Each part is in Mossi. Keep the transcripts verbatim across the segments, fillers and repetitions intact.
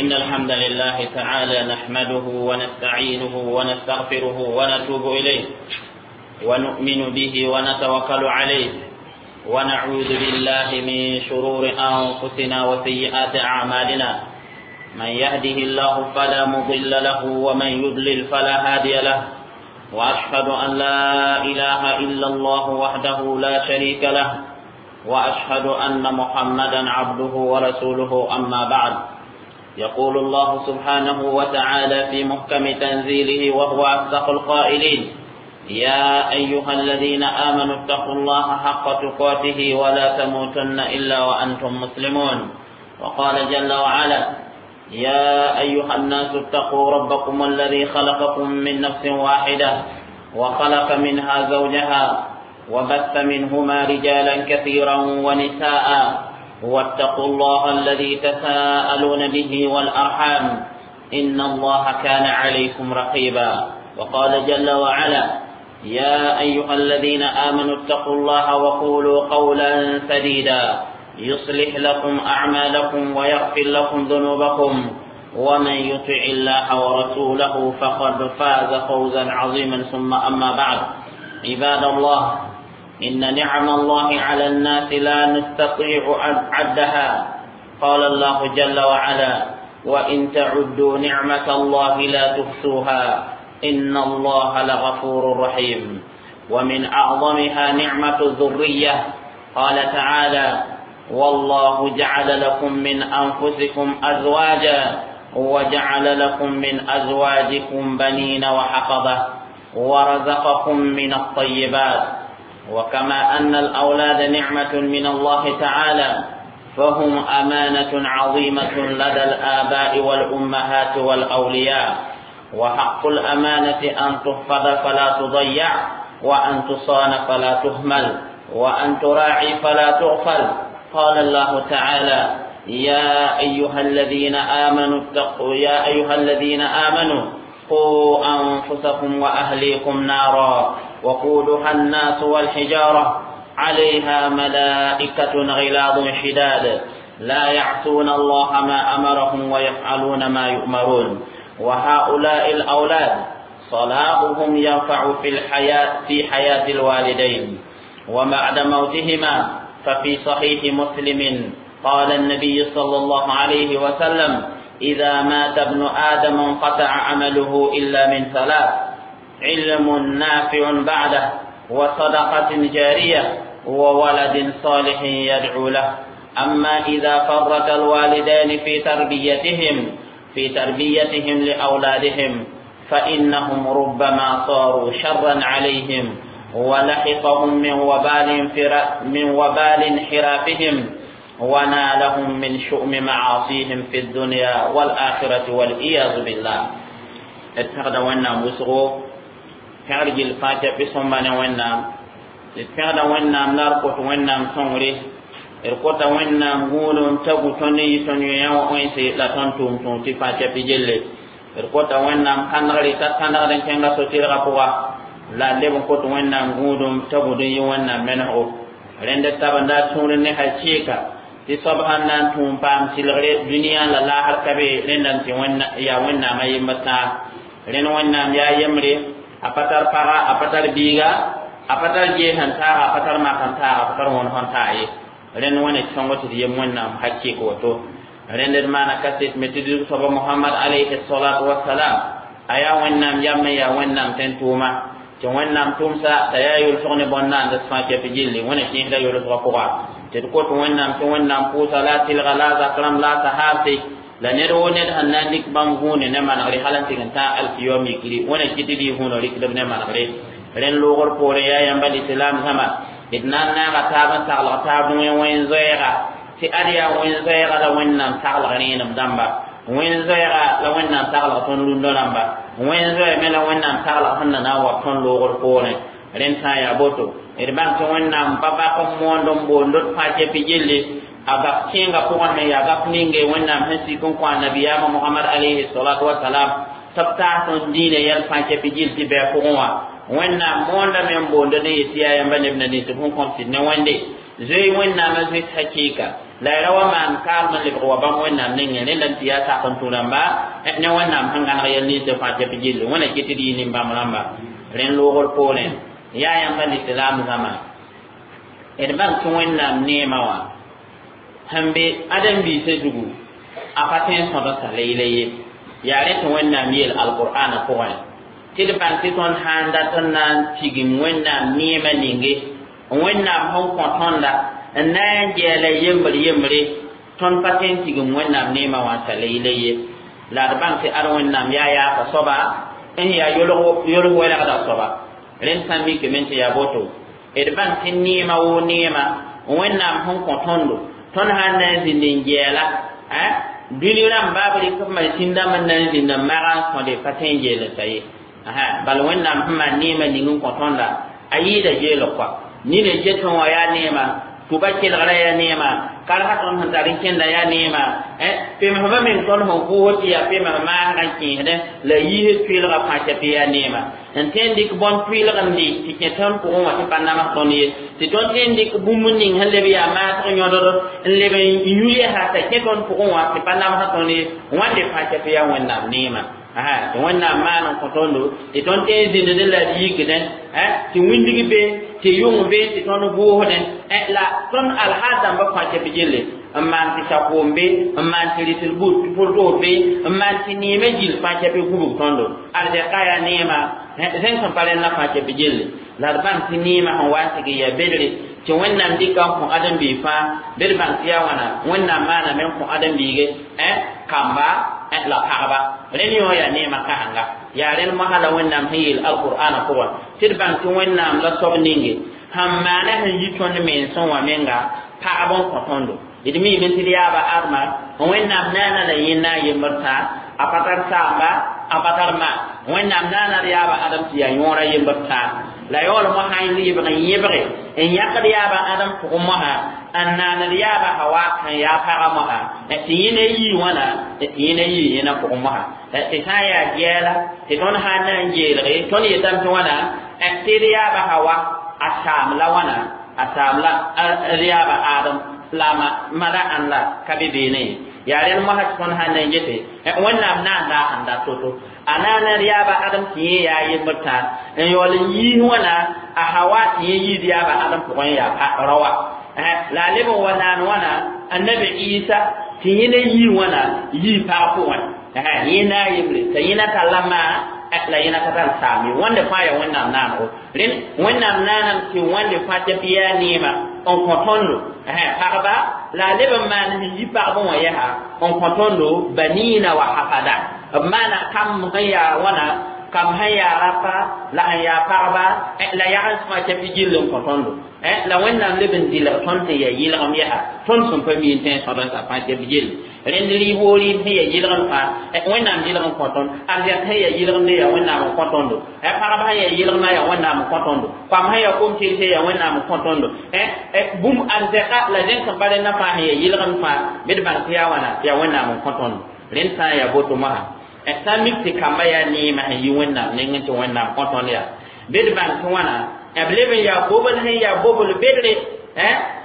إن الحمد لله تعالى نحمده ونستعينه ونستغفره ونتوب إليه ونؤمن به ونتوكل عليه ونعوذ بالله من شرور أنفسنا وسيئات أعمالنا. من يهده الله فلا مضل له ومن يضلل فلا هادي له، وأشهد أن لا إله إلا الله وحده لا شريك له، وأشهد أن محمدا عبده ورسوله. أما بعد، يقول الله سبحانه وتعالى في محكم تنزيله وهو أصدق القائلين: يا أيها الذين آمنوا اتقوا الله حق تقاته ولا تموتن إلا وأنتم مسلمون. وقال جل وعلا: يا أيها الناس اتقوا ربكم الذي خلقكم من نفس واحدة وخلق منها زوجها وبث منهما رجالا كثيرا ونساء، واتقوا الله الذي تساءلون به والأرحام إن الله كان عليكم رقيبا. وقال جل وعلا: يا أيها الذين آمنوا اتقوا الله وقولوا قولا سديدا يصلح لكم أعمالكم ويغفر لكم ذنوبكم، ومن يطع الله ورسوله فقد فاز فوزا عظيما. ثم أما بعد، عباد الله، إن نعم الله على الناس لا نستطيع عدها. قال الله جل وعلا: وإن تعدوا نعمة الله لا تحصوها إن الله لغفور رحيم. ومن أعظمها نعمة الذرية. قال تعالى: والله جعل لكم من أنفسكم أزواجا وجعل لكم من أزواجكم بنين وحفظة ورزقكم من الطيبات. وكما أن الأولاد نعمة من الله تعالى، فهم أمانة عظيمة لدى الآباء والأمهات والأولياء، وحق الأمانة أن تحفظ فلا تضيع، وأن تصان فلا تهمل، وأن تراعي فلا تغفل. قال الله تعالى: يا أيها الذين آمنوا اتقوا يا أيها الذين آمنوا قوا أنفسكم وأهليكم نارا وقودها الناس والحجارة عليها ملائكة غلاظ شداد لا يعصون الله ما أمرهم ويفعلون ما يؤمرون. وهؤلاء الأولاد صلاحهم ينفع في الحياة في حياة الوالدين وبعد موتهما. ففي صحيح مسلم قال النبي صلى الله عليه وسلم: إذا مات ابن آدم انقطع عمله إلا من ثلاث: علم نافع بعده، وصدقة جارية، وولد صالح يدعو له. أما إذا فرط الوالدان في تربيتهم في تربيتهم لأولادهم فإنهم ربما صاروا شرا عليهم ولحقهم من وبال من وبال انحرافهم ونالهم من شؤم معاصيهم في الدنيا والآخرة والعياذ بالله. اتخذ ونا مسغو كارج الفاتح بسمنا ونا اتخذ ونا ناركوت ونا صنري اركوت ونا غولون تغو توني توني يا وينسي لا تنتم تونتي فاتح بجل اركوت ونا كانغري تكانغري كانغا سوتير غابوا la leb n kot wẽnnaam gũudum t'a gũd n yɩ wẽnnaam menesgo rẽnd tabenda tũud ne hakɩɩka tɩ soab sãn na n tũum paam sɩlgre dũniyã la laasr ka be rẽnda n tɩ yaa wẽnnaam a yembr tãag rẽnd wẽnnaam yaa yembre a pa tar paga a pa tar biiga a pa tar gees n taaga a pa tar mak n taaga a pa tar wõn sẽn taa ye rẽnd wẽne sõngo tɩ d yem wẽnnaam hakɩɩk woto rẽnd d maana kaset me tɩ d soaba Mohamad alayhi salatu wasalam a yaa wẽnnaam yam n yaa wẽnnaam tẽn-tʋʋma tɩ wẽnnaam tʋmsa t'a yaa yʋlsg ne bõn-naand fãa kɛp gilli wẽna kẽesda yʋlsgã pʋga tɩ d kot wẽnnaam tɩ wẽnnaam pʋʋsa la a tɩlga la a zak rãmb la a sahaabse la ned woo ned sẽn na n dɩk bãmb gũune ne manegre hal n tɩg n tãag alkiyom yikri wẽna kɩ tɩ d yɩ hũuna rɩkdb ne manegre rẽnd loogr poorẽ yaa yãmba lislaam zãma d na n naaga taab n taglg taab wẽn-zoɛɛga tɩ ad yaa wẽn-zoɛɛga la wẽnnaam taglg rẽenem dãmba wẽn-zoɛɛga la wẽnnaam taglg tõnd rũndã rãmba wẽn-zoɛɛ me la wẽnnaam taglg sẽn na na n wa tõnd loogr poorẽ rẽnd sã n yaa boto d bãng tɩ wẽnnaam pa bak n moond n boond d fãa kɛp gilli a gap kẽengã pʋgẽ sẽn yaa gap ninge wẽnnaam sẽn sik n kõ a nabiyaamã Mohamad alayhi salatu wasalam tɩ b taas tõnd diinã yɛl fãa kɛp gill tɩ bɩ a pʋgẽ wã wẽnnaam moondame n boond n yet tɩ yaa yãmba neb na nins b sẽn kõm sɩd ne wẽnde zoe wẽnnaamã zoet hakɩɩka La ya ra wa maan kaalm n lebg wa bãmb wẽnnaam nengẽ rẽnda n tɩ yaa sak n tũ rãmba ne wẽnnaam sẽn gãneg yɛl ninsã fãa tɩ b gilli wẽna kɩ tɩ d yɩ nin-bãmb rãmba rẽnd loogr poorẽ yaa yãmba lislaam zãma d bãng tɩ wẽnnaam neemã wã sẽn be ãdem-biisã zugu a pa tõe n sõd n sa la yɩla ye yaa rẽ tɩ wẽnnaam yeel alqur'ana pʋgẽ tɩ d bãng tɩ tõnd sã n dat n na n tigim wẽnnaam neemã ninge wẽnnaam sẽn kõ tõnda n na n gɛɛla yembr yembre tõnd pa tõe n tigim wẽnnaam neemã wã n sa la yɩla ye la d bãng tɩ ad wẽnnaam yaa yaaka soaba n yaa yolg wɛlgda soaba rẽnd sã n mikame tɩ yaa boto d bãng tɩ neemã woo neemã wẽnnaam sẽn kõ tõndo tõnd sã n na n zĩnd n gɛɛla dũni rãmba b rɩk b masĩn dãmb n na n zĩnd n mag n sõde pa tõe n geel n sa ye bal wẽnnaam sẽn maan neemã ning n kõ tõnda a yɩɩda geelg koa nina getẽ wã yaa neemã tʋba kelgra yaa neemã karsa tõnd sẽn tar n kẽnda yaa neemã pemsbã meng tõnd sẽn vʋʋs tɩ yaa pems maasgã n kẽesdẽ la yiisd tʋɩlgã fãa tɩ yaa neemã n tõe n dɩk bõn tʋɩlg n dɩ tɩ kẽ tõnd pʋgẽ wã tɩ pa nams tõnd ye tɩ tõnd tõe n dɩk bũmb ning sẽn leb yaa maasg yõdr n leb n yũ yɛsa t'a kẽ tõnd pʋgẽ wã tɩ pa nams tõnd ye wãnde fãa tɩ yaa wẽnnaam neemã tɩ wẽnnaam maan n kõ tõndo tɩ tõnd tõe n zĩndẽ la d yikdẽ tɩ wĩndg be tɩ yʋng be tɩ tõnd vʋʋsdẽ la tõnd alhaal dãmbã fãa tɩ b gelle n maan tɩ sakoom be n maan tɩ rɩsd pʋr-toor be n maan tɩ neemã gill fãa tɩ b gubg tõndo arzɛka yaa neemã zẽng sẽn pa rẽndã fãa tɩ b gelle la d bãng tɩ neemã sẽn wa n tɩg n yaa bedre tɩ wẽnnaam dɩka n kõ ãdem-biig fãa bɩ d bãng tɩ yaa wãna wẽnnaam maaname n kõ ãdem-biige kamba la pagba rẽnd yõ yaa neemã kãsenga yaa rẽnd mosã la wẽnnaam sẽn yeel alqur'ana pʋgẽ tɩ d bãng tɩ wẽnnaam la soab ninge sẽn maana sẽn yi tõnd mensẽ wã menga pagb n kõ tõndo d miime tɩ d yaaba adma wẽnnaam naana la yẽnda a yembr tã a pa tar saamba a pa tar ma wẽnnaam naana d yaaba adam tɩ yaa yõora yembr tã la yaool mosã n yɩbg n yẽbge n yãkd yaaba adam pʋgẽ mosã n naaned yaaba hawa sẽn yaa pagã mosã tɩ yẽna yii wãna tɩ yẽna yii yẽna pʋgẽ mosã tɩ sã n yaa gɛɛla tɩ tõnd sã n na n geelge tõnd yetame tɩ wãna tɩ d yaaba hawa a saam la wãna a saam la d yaaba adam la mada ãn la ka be beene ye yaa rẽnd mosã tɩ tõnd sã n na n gete wẽnnaam naanda sẽn da to-to a naana d yaaba adam tɩ yẽ yaa yembr tã n yaool n yiis wãna a hawa tɩ yẽ yiid yaaba adam pʋgẽ yaa raoa la a leb n wa naan wãna annabi isa tɩ yẽna yii wãna yii pag pʋgẽ yẽ na a yembre t'a yẽna talla maa la yẽna ka tar saam ye wãnde fãa yaa wẽnnaam naanego rẽnd wẽnnaam naanam tɩ wãnde fãa tɩ b yaa neemã n kõ tõndo pagba la a leb n maan sẽn yi pagb wã yɛsa n kõ tõndo banina wa hafada b maana kam sẽn yaa wãna kam sẽn yaa rapa la sẽn yaa pagba la yagens fãa tɩ b gill n kõ tõndo la wẽnnaam leb n dɩlg tõnd tɩ yaa yɩlgem yɛsa tõnd sẽn pa mi n tõe n sõd n sa fãa tɩ b gill rẽnd rɩɩb woo rɩɩb sẽn yaa yɩlgem fãa wẽnnaam yɩlg n kõ tõnd arzɛk sẽn yaa yɩlgemde yaa wẽnnaam n kõ tõndo pagb sẽn yaa yɩlgmã yaa wẽnnaam n kõ tõndo koam sẽn yaa kom-tɩrse yaa wẽnnaam n kõ tõndo bũmb arzɛka la zẽng sẽn pa rẽndã fãa sẽn yaa yɩlgem fãa bɩ d bãng tɩ yaa wãna yaa wẽnnaam n kõ tõndo rẽnd sã n yaa boto mosã sã n mik tɩ kamba yaa neemã sẽn yi wẽnnaam nengẽ tɩ wẽnnaam kõ tõnd yaa bɩ d bãng tɩ wãna b leb n yaa bobl sẽn yaa bobl bedre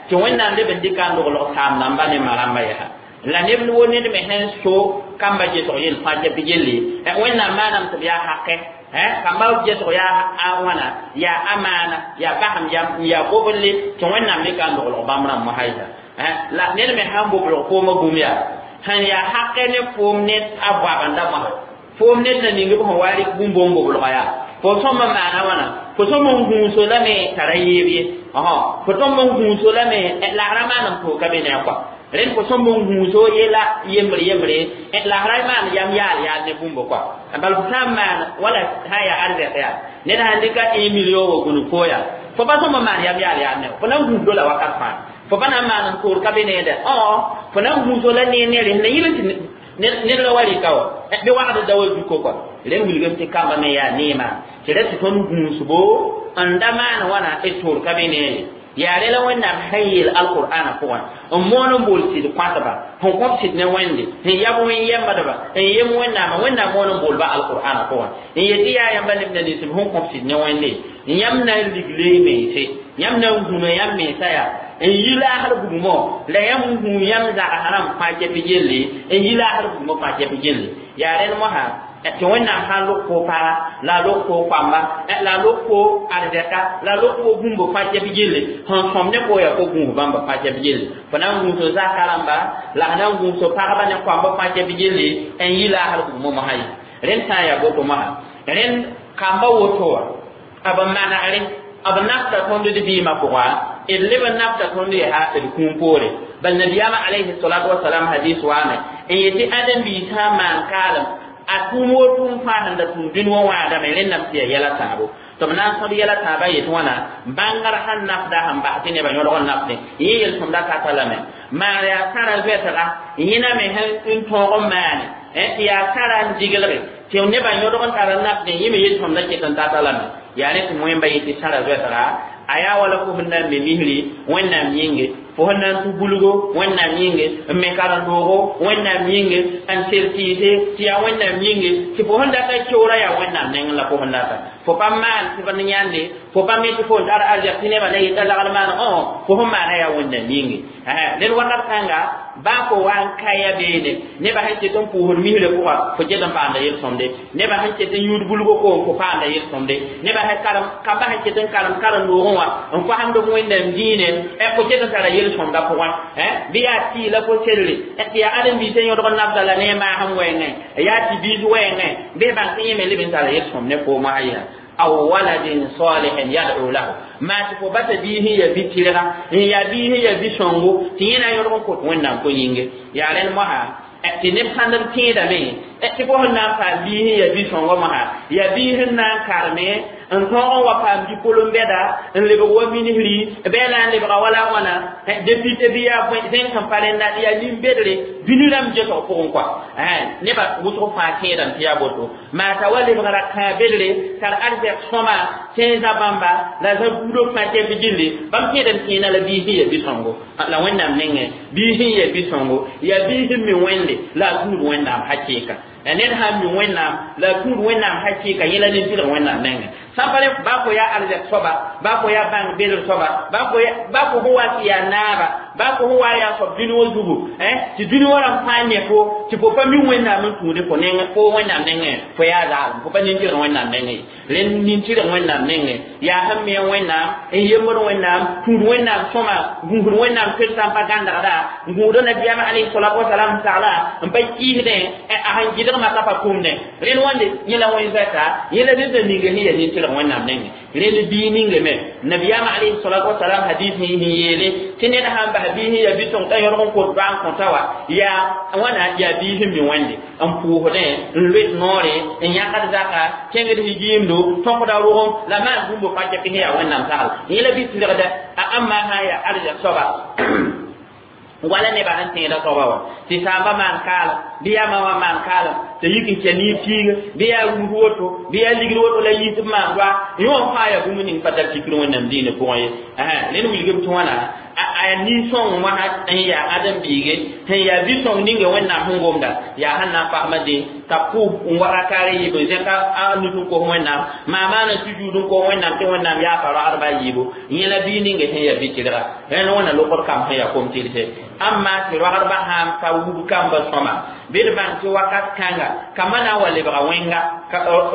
tɩ wẽnnaam leb n dɩka n loglg saam rãmba ne ma rãmba yɛsa la neb wo ned me sẽn so kamba gesg yel fãa tɩ b gelle wẽnnaam maanam tɩ b yaa hakɛ kamba gesg yaa wãna yaa amaana yaa basem yaa boble tɩ wẽnnaam dɩka n loglg bãmb rãmb mosã yɛsa la ned me sãn boblg koomã bũmb yaa sẽn yaa hakɛ ne foom ne a goabenda mosã foom ned na ning b sẽn wa rɩk bũmb n boblga yaa fo sõm n maana wãna fo sõm n gũuso lame t'a ra yeeb ye fo tõm n gũuso lame la ra maan n pʋʋka be ne a kɔa rẽnd fo sõm n gũuso yela yembre yembre la ra maan yam yaal yaal ne bũmb kɔa bal fo sã n maan wala sã n yaa arzɛk yaa ned sãn dɩka un million wa gũnug fo yaa fo pa sõm n maan yam yaal yaal ne fo na n gũusdo la wakat fãa fo pa na n maan n toor ka be neede fo na n gũuso la ne nere sẽn na yɩl tɩ ned la wa rɩka wa bɩ wagd da wa zuko kɔa rẽnd wilgame tɩ kamba me yaa neemã tɩ ra tɩ tõnd gũusbo n da maan wãna d toor ka be nee yaa rẽ la wẽnnaam sẽn yeel alqur'ana pʋgẽ n moon n bool sɩd kõatba sẽn kõb sɩd ne wẽnde sẽn yab wẽn-yɛmbdba n yem wẽnnaamã wẽnnaam moon n boolba alqur'ana pʋgẽ n yet tɩ yaa yãmba lebna ninsb sẽn kõb sɩd ne wẽnde yãmb na n ligle y mense yãmb na n gũna yãmb mensa yaa n yi laasr bugmõ la yãmb gũu yãmb zagsrãmb fãa kɛp gelle n yi laasr bugmõ fãa kɛp gelle yaa rẽnd mosã tɩ wẽnnaam sã n lʋg fo paga la a lʋg fo koamba la a lʋg fo arzɛka la a lʋg fo bũmb fãa kɛp gelle sẽn sõm ne fo yaa fo gũus bãmba fãa kɛp gelle fo na n gũus zaka rãmba la f na n gũus pagba ne koamba fãa kɛp gelle n yi laasr bugmõ mosã ye rẽnd sã n yaa boto mosã rẽnd kamba woto wã b manegre b nafta tõnd d vɩɩmã pʋga d leb n nafta tõnd yaa d kũum poore bal nabiyaamã alayhi salatu wasalam hadis waame n yetɩ ãdem-biis sã n maan kaalem a tʋʋm woto n fãa sẽn da tũud dũni wã wãadame rẽndame tɩ yaa yɛla tãabo tɩ b na n sõd yɛla tãabã yetɩ wãna bãngr sẽn nafda sẽn bas tɩ nebã yõlg n nafdẽ yẽ yel-sõmda ka lame maan yaa sãra zoɛtga yẽna me sẽn tõog n maane tɩ yaa sãra n diglge tɩ nebã yõdg n tar n nafdẽ yẽ me yel-sõmda ket n tata lame yaa rẽ tɩ wẽmba yetɩ sãra zoɛtga a yaa wala fo sẽn na n me misri wẽnnaam yĩnge fo sẽn na n tũ bulgo wẽnnaam yĩnge n me karen-doogo wẽnnaam yĩnge n sel tɩɩse tɩ yaa wẽnnaam yĩnge tɩ fo sẽn data keoora yaa wẽnnaam nengẽ la fo sẽn data fo pa maan tɩ b yãnde fo pa me tɩ fo n tar arzɛk tɩ nebã la yeta lagl maan õ fo sẽn maana yaa wẽnnaam yĩnge ned wakat kãnga baa fo wa n kaya beene nebã sẽn ket n pʋʋsd misrã pʋga fo ket n paamda yel-sõmde nebã sẽn ket n yũud bulgo koom fo paamda yel-sõmde nebã sẽn karem kamba sẽn ket n karem karen-doogẽ wã n koasd b wẽnnaam diine fo ket n tara yel-sõmda pʋgẽ bɩ yaa tɩ la fo selle tɩ yaa ãdem-biisã yõdg n nafda la ne a maasem wɛɛngẽ yaa tɩ biis wɛɛngẽ bɩ bãng tɩ yẽ me leb n tara yel-sõm ne foom wã yaa aw waladin salihin yad'u lahu maa tɩ fo basa biis n ya bi-tɩrga n yaa biis n ya bi-sõngo tɩ yẽ na n yõdg n kot wẽnnaam ko-yĩnge yaa rẽnd mosã tɩ neb sãnd b tẽedame tɩ fo sẽn na n paam biis n ya bi-sõngõ mosã yaa biis n na n karme n tõog n wa paam dipolom bɛda n lebg wa ministri bɩ na n lebga wala wãna député bɩ yaa zẽng sẽn pa rẽnda yaa nin-bedre dũni rãmb gesg pʋgẽ kɔa nebã wʋsg fãa tẽedame tɩ yaa boto maa t'a wa lebgra kãa bedre tar arzɛk sõma tẽnsã bãmba la zã buudb fãa kɛp gilli bãmb tẽedame kẽena la biis n ya bi-sõngo la wẽnnaam nengẽ biis n ya bi-sõngo yaa biis n mi wẽnde la a tũud wẽnnaam hakɩɩka ned sãn mi wẽnnaam la a tũud wẽnnaam hakɩɩka yẽ la nin-tɩlg wẽnnaam nengẽ sã n pa rẽ baa fo yaa arzɛk soaba baa fo yaa bãng bedr soaba baa fo sẽn wa tɩ yaa naaba baa fo sẽn wa yaa soab dũni wã zugu tɩ dũni wã rãmb fãa ne fo tɩ fo pa mi wẽnnaam n tũude fo nengẽ fo wẽnnaam nengẽ fo yaa zaalem fo pa nin-tɩlg wẽnnaam nengẽ ye rẽnd nin-tɩlg wẽnnaam nengẽ yaa sẽn me wẽnnaam n yembd wẽnnaam tũud wẽnnaam sõma gũusd wẽnnaam toetsã n pa gãndgda n gũusd nabiyaamã alayhi salatu wasalam sagla n pa kɩɩsdẽ a sẽn gɩdgmã ka pa kũmdẽ rẽnd wãnde yẽ la wẽn zoɛta yẽ la ned ninge sẽn yaa nin-tɩlg wẽnnaam nengẽ rẽnd bii ninge me nabiyaamã alayhi salatu wasalam hadis sẽn yeele tɩ ned sãn bas biis n yaa bi-sõng t'a yõdg n kot doa n kõta wa yaa wãna yaa biis n mi wẽnde n pʋʋsdẽ n loet noore n yãkd zaka kẽngd higiimdo tõkda rogem la maan bũmb fãa kɛp sẽn yaa wẽnnaam sagl yẽ la bi-tɩlgda a ãmba sã n yaa arzɛk soaba wala nebã sẽn tẽeda soaba wã tɩ saamba maan kaalem bɩ yaa ma wã maan kaalem tɩ yik n kɛ niib piiga bɩ yaa rũs woto bɩ yaa ligd woto la yiis b maan doa yẽ wã fãa yaa bũmb ning pa tar fikr wẽnnaam diinã pʋgẽ ye rẽnd wilgb tɩ wãna a nin-sõng wã n yaa ãdem-biige sẽn yaa bi-sõng ninga wẽnnaam sẽn gomda yaa sẽn na n pasma dẽ t'a pʋʋs n wa rakaare yiib n zẽk a nus n kos wẽnnaam maa maana sujuud n kos wẽnnaam tɩ wẽnnaam yaa pa ragdba a yiibu yẽ la bii ninga sẽn yaa bi-tɩlga rẽnd wẽnna lokd kam sẽn yaa kom-tɩlse amma tɩ ragdbã sã n pa wub kamba sõma bɩ d bãng tɩ wakat kãnga kamba na n wa lebga wẽnga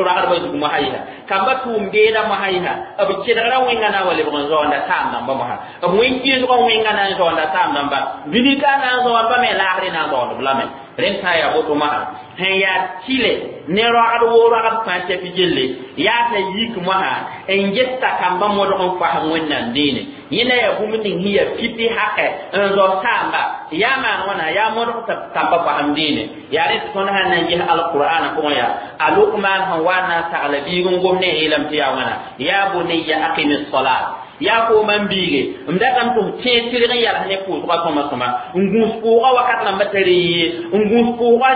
ragdbã zug mosã yɩsa kamba tʋʋm beeda mosã yɩsa b kelgra wẽnga na n wa lebg n zaoonda saam dãmba mosã b wẽn-kɩɩsgã wẽnga na n zaoonda saam dãmba dũni-ka na n zaoondba me laasre na n zaoond b lame rẽnd sã n yaa boto mosã sẽn yaa tɩle ne ragd woo ragd fãa kɛp gelle yaa t'a yik mosã n gesta kamba modg n fasem wẽnnaam dĩine yẽ na yaa bũmb ning sẽn yaa pipi hakɛ n zao saamba yaa maan wãna yaa modg tɩ kamba fasem dĩine yaa rẽ tɩ tõnd sãn na n ges alqur'ana pʋgẽ yaa a Lukman sẽn wa n na n sagla biig n gom ne a yeelame tɩ yaa wãna yaa bunayya aqimi salat yaa kooma n biige m datame tɩ f tẽeg tɩrg n yals ne pʋʋsgã sõma sõma n gũus pʋʋgã wakat rãmbã tar n yee n gũus pʋʋgã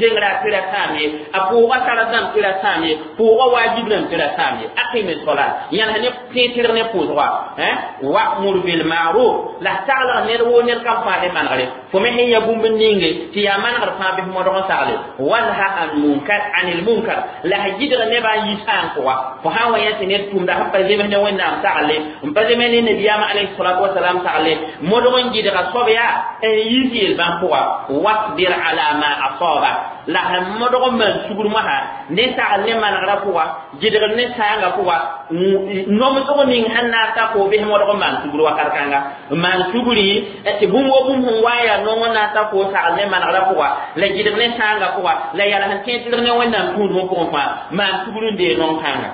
zengrã tɩ ra sãam ye a pʋʋgã sara dãmb tɩ ra sãam ye pʋʋgã waajib rãmb tɩ ra sãam ye aqimi salat yãls ne tẽeg tɩrg ne pʋʋsgã wa'mur bilma'ruf la saglg ned woo ned kam fãa ne manegre fo me sẽn ya bũmb ninge tɩ yaa manegr fãa bɩ f modg n sagle wanha an munkar anil munkar la s gɩdg nebã n yi sãan pʋga fo sã n wa yã tɩ ned tʋmda sẽn pa zems ne wẽnnaam sagle n pa zeme ne nabiyaamã alayhi salatu wasalam sagle modg n gɩdga soab yaa n yiis yel-bãn pʋga wasbir ala ma asaba la sẽn modg n maan sugr mosã ne sagl ne manegrã pʋga gɩdgr ne sãangã pʋga nomsg ning sẽn na n ta fo bɩs modg n maan sugr wakat kãnga n maan sugri tɩ bũmb wo bũmb sẽn wa n yaa nong n na n ta fo sagl ne manegrã pʋga la gɩdg ne sãangã pʋga la yals n tẽed tɩlg ne Wẽnnaam tũudmã pʋgẽ fãa maan sugr n dee nong kãnga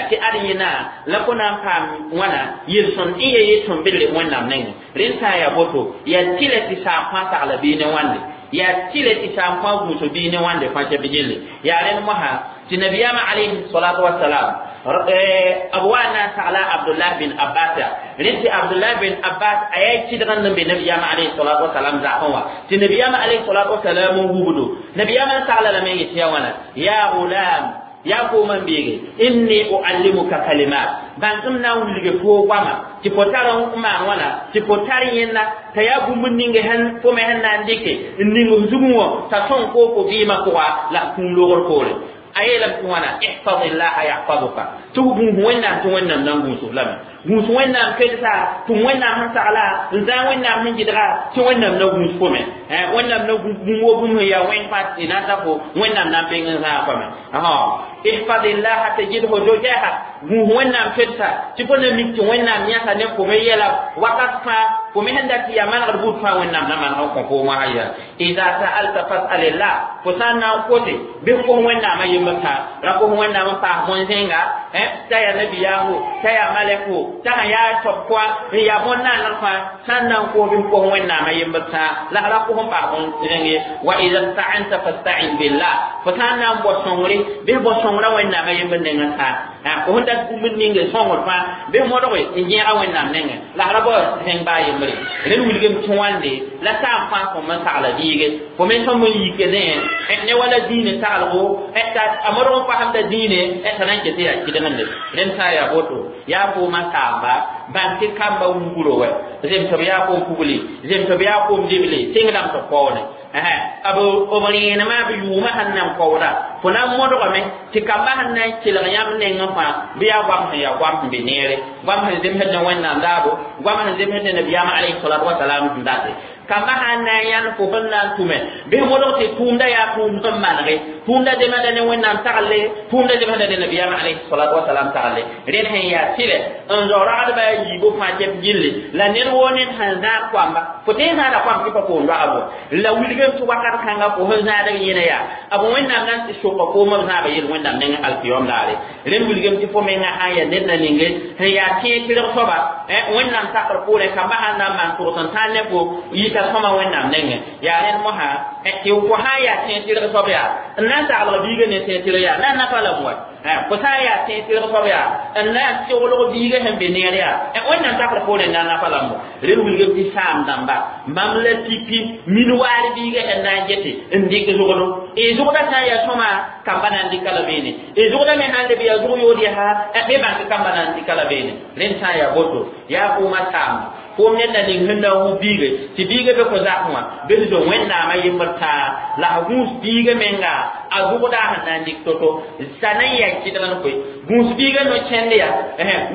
tɩ ad yẽna la fo na n paam wãna yel-sõnd n ya yel-sõm bedre Wẽnnaam nengẽ rẽnd sã n yaa boto yaa tɩlɛ tɩ saam fãa sagla bii ne wãnde yaa tɩlɛ tɩ saam fãa gũusg bii ne wãnde fãa tɩ gelle yaa rẽnd mosã tɩ nabiyaamã alayhi salatu wasalam b wa na n sagla Abdullah bin Abbas rẽnd tɩ Abdullah bin Abbas a yaa kɩdg n be nabiyaamã alayhi salatu wasalam zakẽ wã tɩ nabiyaamã alayhi salatu wasalam n wubdo nabiyaamã n sagla lame n yet yaa wãna yaa gulam yaa koomã n beege inni uallimuka kalimat bãng m na n wilge foo goama tɩ fo tar n maan wãna tɩ fo tar yẽnna t'a yaa bũmb ning sẽn fo me sẽn na n dɩke n ning f zugẽ wã t'a sõng foo fo vɩɩmã pʋga la f kũum logr poore a yeelame tɩ wãna ihfazillaha yahfazuka tɩ f gũus Wẽnnaam tɩ Wẽnnaam na n gũusf lame gũus Wẽnnaam kelsa tɩ Wẽnnaam sẽn sagla n zãag Wẽnnaam sẽn gɩdga tɩ Wẽnnaam na gũus fo me Wẽnnaam na bũmb wo bũmb sẽn yaa wẽng fãa tɩ na n ta fo Wẽnnaam na n peng n zãag fo me ihfazillaha tajidhu tujahak gũus Wẽnnaam kelsa tɩ fo na mik tɩ Wẽnnaam yãsa ne fo me yɛla wakat fãa fo me sẽn dat tɩ yaa manegd buud fãa Wẽnnaam na maneg n kõ foom wã ya ida sa'alta fas'alillah fo sã n na n kote bɩ f kos Wẽnnaamã yembr fãa ra kos Wẽnnaam n paas bõn-zẽnga t'a yaa nabiyaamo t'a yaa malɛko t'a sã yaa soab koa n yaa bõn-naaneg fãa sã n na n kos bɩ f kos Wẽnnaamã yembr fãa la ra kos n paas bõn-zẽng ye wa ida sta'anta fasta'in billah fo sã n na n bao sõngre bɩ f bao sõngrã Wẽnnaamã yembr nengẽ fãa fo sẽn dat bũmb ning sõngr fãa bɩ f modge n gẽega Wẽnnaam nengẽ la ra bao zẽng baa yembre rẽnd wilgem tɩ wãnde la saam fãa fõm n sagla biige fo me sõm n yike ne ne wala dĩinã saglgo t'a a modg n pasemda dĩine t'a na n ket yaa kɩdgende rẽnd sã n yaa boto yaa foomã saamba bãng tɩ kamba wugro wɛ zem tɩ b yaa koom pugli zem tɩ b yaa koom dible tẽngdãmb tɩ kaoone b b rẽenemã b yʋʋmã sẽn na n kaooda fo na n modgame tɩ kamba sẽn na n kelg yãmb nengẽ fãa bɩ yaa goam sẽn yaa goam sẽn be neere goam sẽn zemsd ne Wẽnnaam daabo goam sẽn zemsd ne nabiyaamã alayhi salatu wasalam sẽn date kamba sãn na n yãnd fo sẽn na n tʋme bɩ modg tɩ tʋʋmda yaa tʋʋmd sẽn manege tʋʋmda zemsda ne Wẽnnaam tagle tʋʋmda zemsda ne nabiyaamã alayhi salatu wasalam tagle rẽnd sẽn yaa tɩlɛ n zao ragdbã a yiibu fãa tɩ b gilli la ned woo ned sẽn zãag koamba fo tõe n zãada koam tɩ pa foom doagbo la wilgem tɩ wakat kãnga fo sẽn zãadg yẽna yaa b Wẽnnaam na n tɩ soka foomã b zãaba yel Wẽnnaam nengẽ alkiyom daare rẽnd wilgem tɩ fo menga sã n yaa ned na ninge sẽn yaa tẽeg tɩlg soaba Wẽnnaam sakr poorẽ kamba sãn na n maan tʋgs n tãan ne fo yita sõma Wẽnnaam nengẽ yaa rẽnd mosã tɩ fo sã n yaa tẽeg tɩlg soab yaa n na n saglg biiga ne tẽeg tɩlg yaa na n nafa lame wa fo sã n yaa tẽeg tɩlg soab yaa n na n seglg biiga sẽn be neer yaa Wẽnnaam sakr poorẽ na n nafa lame rẽnd wilgem tɩ saam dãmba mam la pipi min waar biiga sẽn na n gete n dɩk zʋgdo y zʋgda sã n yaa sõma kamba na n dɩka la beene y zʋgda me sãn leb yaa zʋg yood yaa bɩ bãng tɩ kamba na n dɩka la beene rẽnd sã n yaa boto yaa foomã saamba foom ned na ning sẽn na n wub biige tɩ biiga be fo zakẽ wã bɩ f zo Wẽnnaamã yembr tãa la f gũus biiga menga a zʋgda sẽn na n dɩk to-to t'a na n yaa kɩdg n koe gũus biiga no-kẽnd yaa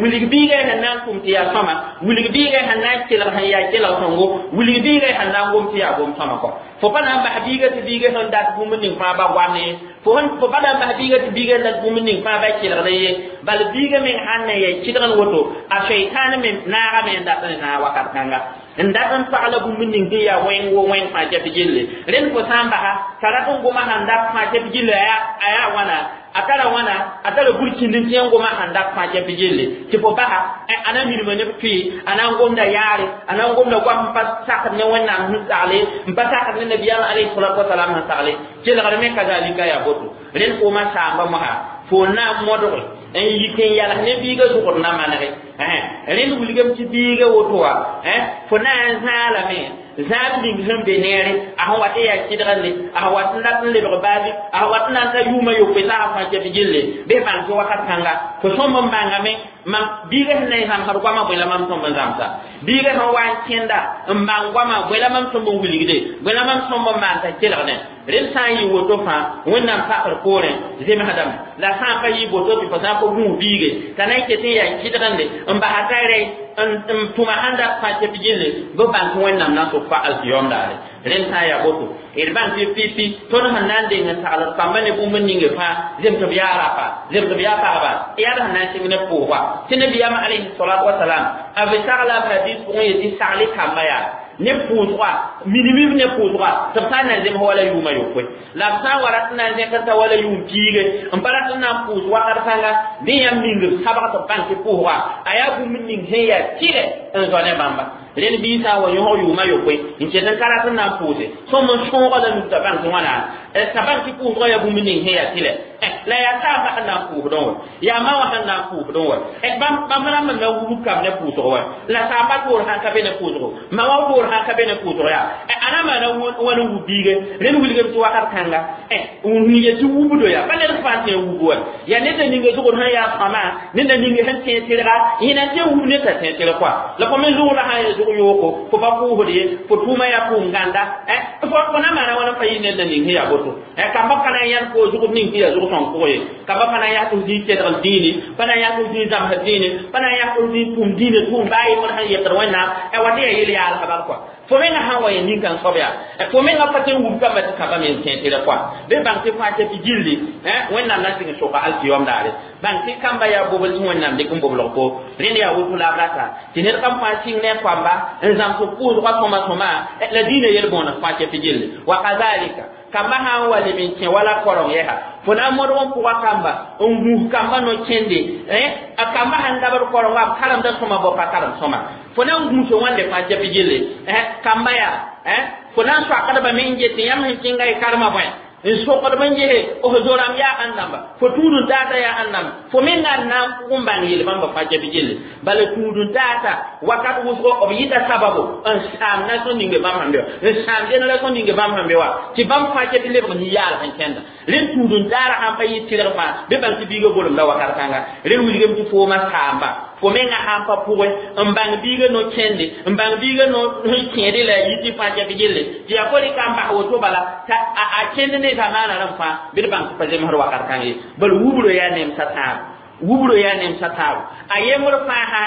wilg biiga sẽn na n tʋm tɩ yaa sõma wilg biiga sẽn na n kelg sẽn yaa kelg sõngo wilg biiga sẽn na n gom tɩ yaa gom sõma kɔ fo pa na n bas biiga tɩ biiga sẽn dat bũmb ning fãa ba goam ye fo fo pa na n bas biiga tɩ biiga dat bũmb ning fãa ba kelgd ye bal biiga meng sãn na yaa kɩdg n woto a sheitan me naagame n dat n zãag wakat kãnga n dat n pagla bũmb ning tɩ yaa wẽng wo wẽng fãa tɩ gilli rẽnd fo sã n basa t'a rat n goma sãn dat fãa tɩ gilli a yaa wãna a tara wãna a tara burkĩnd n tẽ n goma sãn dat fãa tɩ gilli tɩ fo basa a na mirma neb tʋɩ a na n gomda yaare a na n gomda goam n pa sakd ne Wẽnnaam sẽn sagle n pa sakd ne nabiyaamã alayhi salatu wasalam sẽn sagle kelgr me kazalika yaa boto rẽnd foomã saamba mosã fo na n modge n yik n yals ne biiga zʋgd na manege rẽnd wilgem tɩ biiga woto wã fo na n zãalame zãab ning sẽn be neere a sẽn wat n yaa kɩdgende a sẽn wat n dat n lebg baabi a sẽn wat n na n ta yʋʋmã yopoe saasã fãa tɩ gilli bɩ bãng tɩ wakat kãnga fo sõmb n bãngame mam biiga sẽn na n zãmsd goamã bõe la mam sõmb n zãmsa biiga sẽn wa n kẽnda n bãng goamã bõe la mam sõmb n wilgde bõe la mam sõmb n maan t'a kelgdẽ rẽnd sã n yɩ woto fãa wẽnnaam pakr poorẽ zemsdame la sã n pa yɩ boto tɩ fo sã n pa gũus biige t'a na n ket n yaa kɩdgende n basa t'a rɛ n tʋma sẽn dat fãa tɩ b gilli bɩ bãng tɩ wẽnnaam na n sʋk fa alkiyom daare rẽnd sã n yaa boto d bãng tɩ pipi tõnd sẽn na n deng n sagl d kambã ne bũmb ninge fãa zemsb yaa rapa zemsb yaa pagba yaa d sẽn na n sɩng ne pʋʋsga tɩ nabiyaamã alayhi salatu wasalam a b sagla b hadis pʋgẽ yetɩ sagl kamba yaa ne pʋʋsga minimum ne pʋʋsga tɩ b sã n na zems wala yʋʋmã yopoe la b sã n wa rat n na n zẽkr t'a wala yʋʋm piige n pa rat n na n pʋʋs wakat kãnga bɩ yãmb ning b sabg tɩ b bãng tɩ pʋʋsga a yaa bũmb ning sẽn yaa tɩlɛ n zao ne bãmba rẽnd bii sã n wa yõsg yʋʋmã yopoe n ket n ka rat n na n pʋʋse sõm n sõoga la nug t'a bãng tɩ wãna t'a bãng tɩ pʋʋsga yaa bũmb ning sẽn yaa tɩlɛ la yaa saamba sẽn na n pʋʋsdẽ wa yaa ma wã sẽn na n pʋʋsdẽ wa bãmb rãmb na wubg kam ne pʋʋsg wa la saamba toor sãn ka be ne pʋʋsgo ma wã toor sãn ka be ne pʋʋsg yaa a na maana wãn n wub biige rẽnd wilgem tɩ wakat kãnga n yet tɩ wubdo yaa pa ned fãa tẽ wub wa yaa ned a ninga zʋgd sẽn yaa sõama ned a ninga sẽn tẽ tɩrga yẽna tẽ wub ned t'a tẽ tɩrg kɔa la fo me zʋgda sã yaa zʋg yooko fo pa pʋʋsd ye fo tʋʋma yaa pʋʋm gãnda fo na maana wãn n pa yɩ ned a ning sẽn yaa boto kamba pa na n yãnd fo zʋgd ning sẽn yaa zʋg sõng pʋgẽ ye kamba pa na n yaa tɩ f zĩig tedgl dĩini pa na n yaa tɩ f zĩig zãmsd dĩini pa na n yaa tɩ f zĩig pʋm dĩinã tʋʋm baa yembr sẽn yetd wẽnnaam wa tɩ yaa yel-yaalsã bal kɔa fo menga sã n wa yẽ nin-kãng soab yaa fo menga pa tɩ n wub kamba tɩ kamba me n tẽ tɩrg kɔa bɩ bãng tɩ fãa tɩ gilli wẽnnaam na n sɩng soka alkiyom daare bãng tɩ kamba yaa bobl tɩ wẽnnaam dɩk n boblg fo rẽnd yaa woto la b rata tɩ ned kam fãa sɩng ne a koamba n zãms pʋʋsgã sõma sõma la dĩinã yel-bõoneg fãa tɩ gilli wa kazalika kamba sã n wa leb n kẽ wala korong yɛsa fo na n modg n pʋga kamba n gũus kamba no-kẽnde a kamba sẽn dabd korongã b karemda sõma bao pa karem sõma fo na n gũus wãnde fãa tɩ gilli kamba yaa fo na n soakdbame n get tɩ yãmb sẽn kẽnga y karema bõe n sokdb n gese f zo-rãmb yaa ãn-dãmba fo tũud-n-taata yaa ãn-dãmba fo menga n na n pʋg n bãng yel-bãmba fãa tɩ gilli bala tũud-n-taata wakat wʋsgo b yɩta sababo n sãam na-sõn ninge bãmb sẽn be wa n sãam génération ninge bãmb sẽn be wa tɩ bãmb fãa tɩ lebg nin-yaalg n kẽnda rẽnd tũud-n-taara sãn pa yɩ tɩrg fãa bɩ bãng tɩ biigã golemda wakat kãnga rẽnd wilgame tɩ foomã saamba fo menga sãn pa pʋgẽ n bãng biigã no-kẽnde n bãng biigã no sẽn kẽede la a yɩ tɩ fãa tɩ gilli tɩ yaa fo rɩka n bas woto bala t'a a kẽnd ne zamaana rãmb fãa bɩ d bãng tɩ pa zemsd wakat kãng ye bal wubro yaa nemsa tãabo wubro yaa nemsa tãabo a yembr fãa sã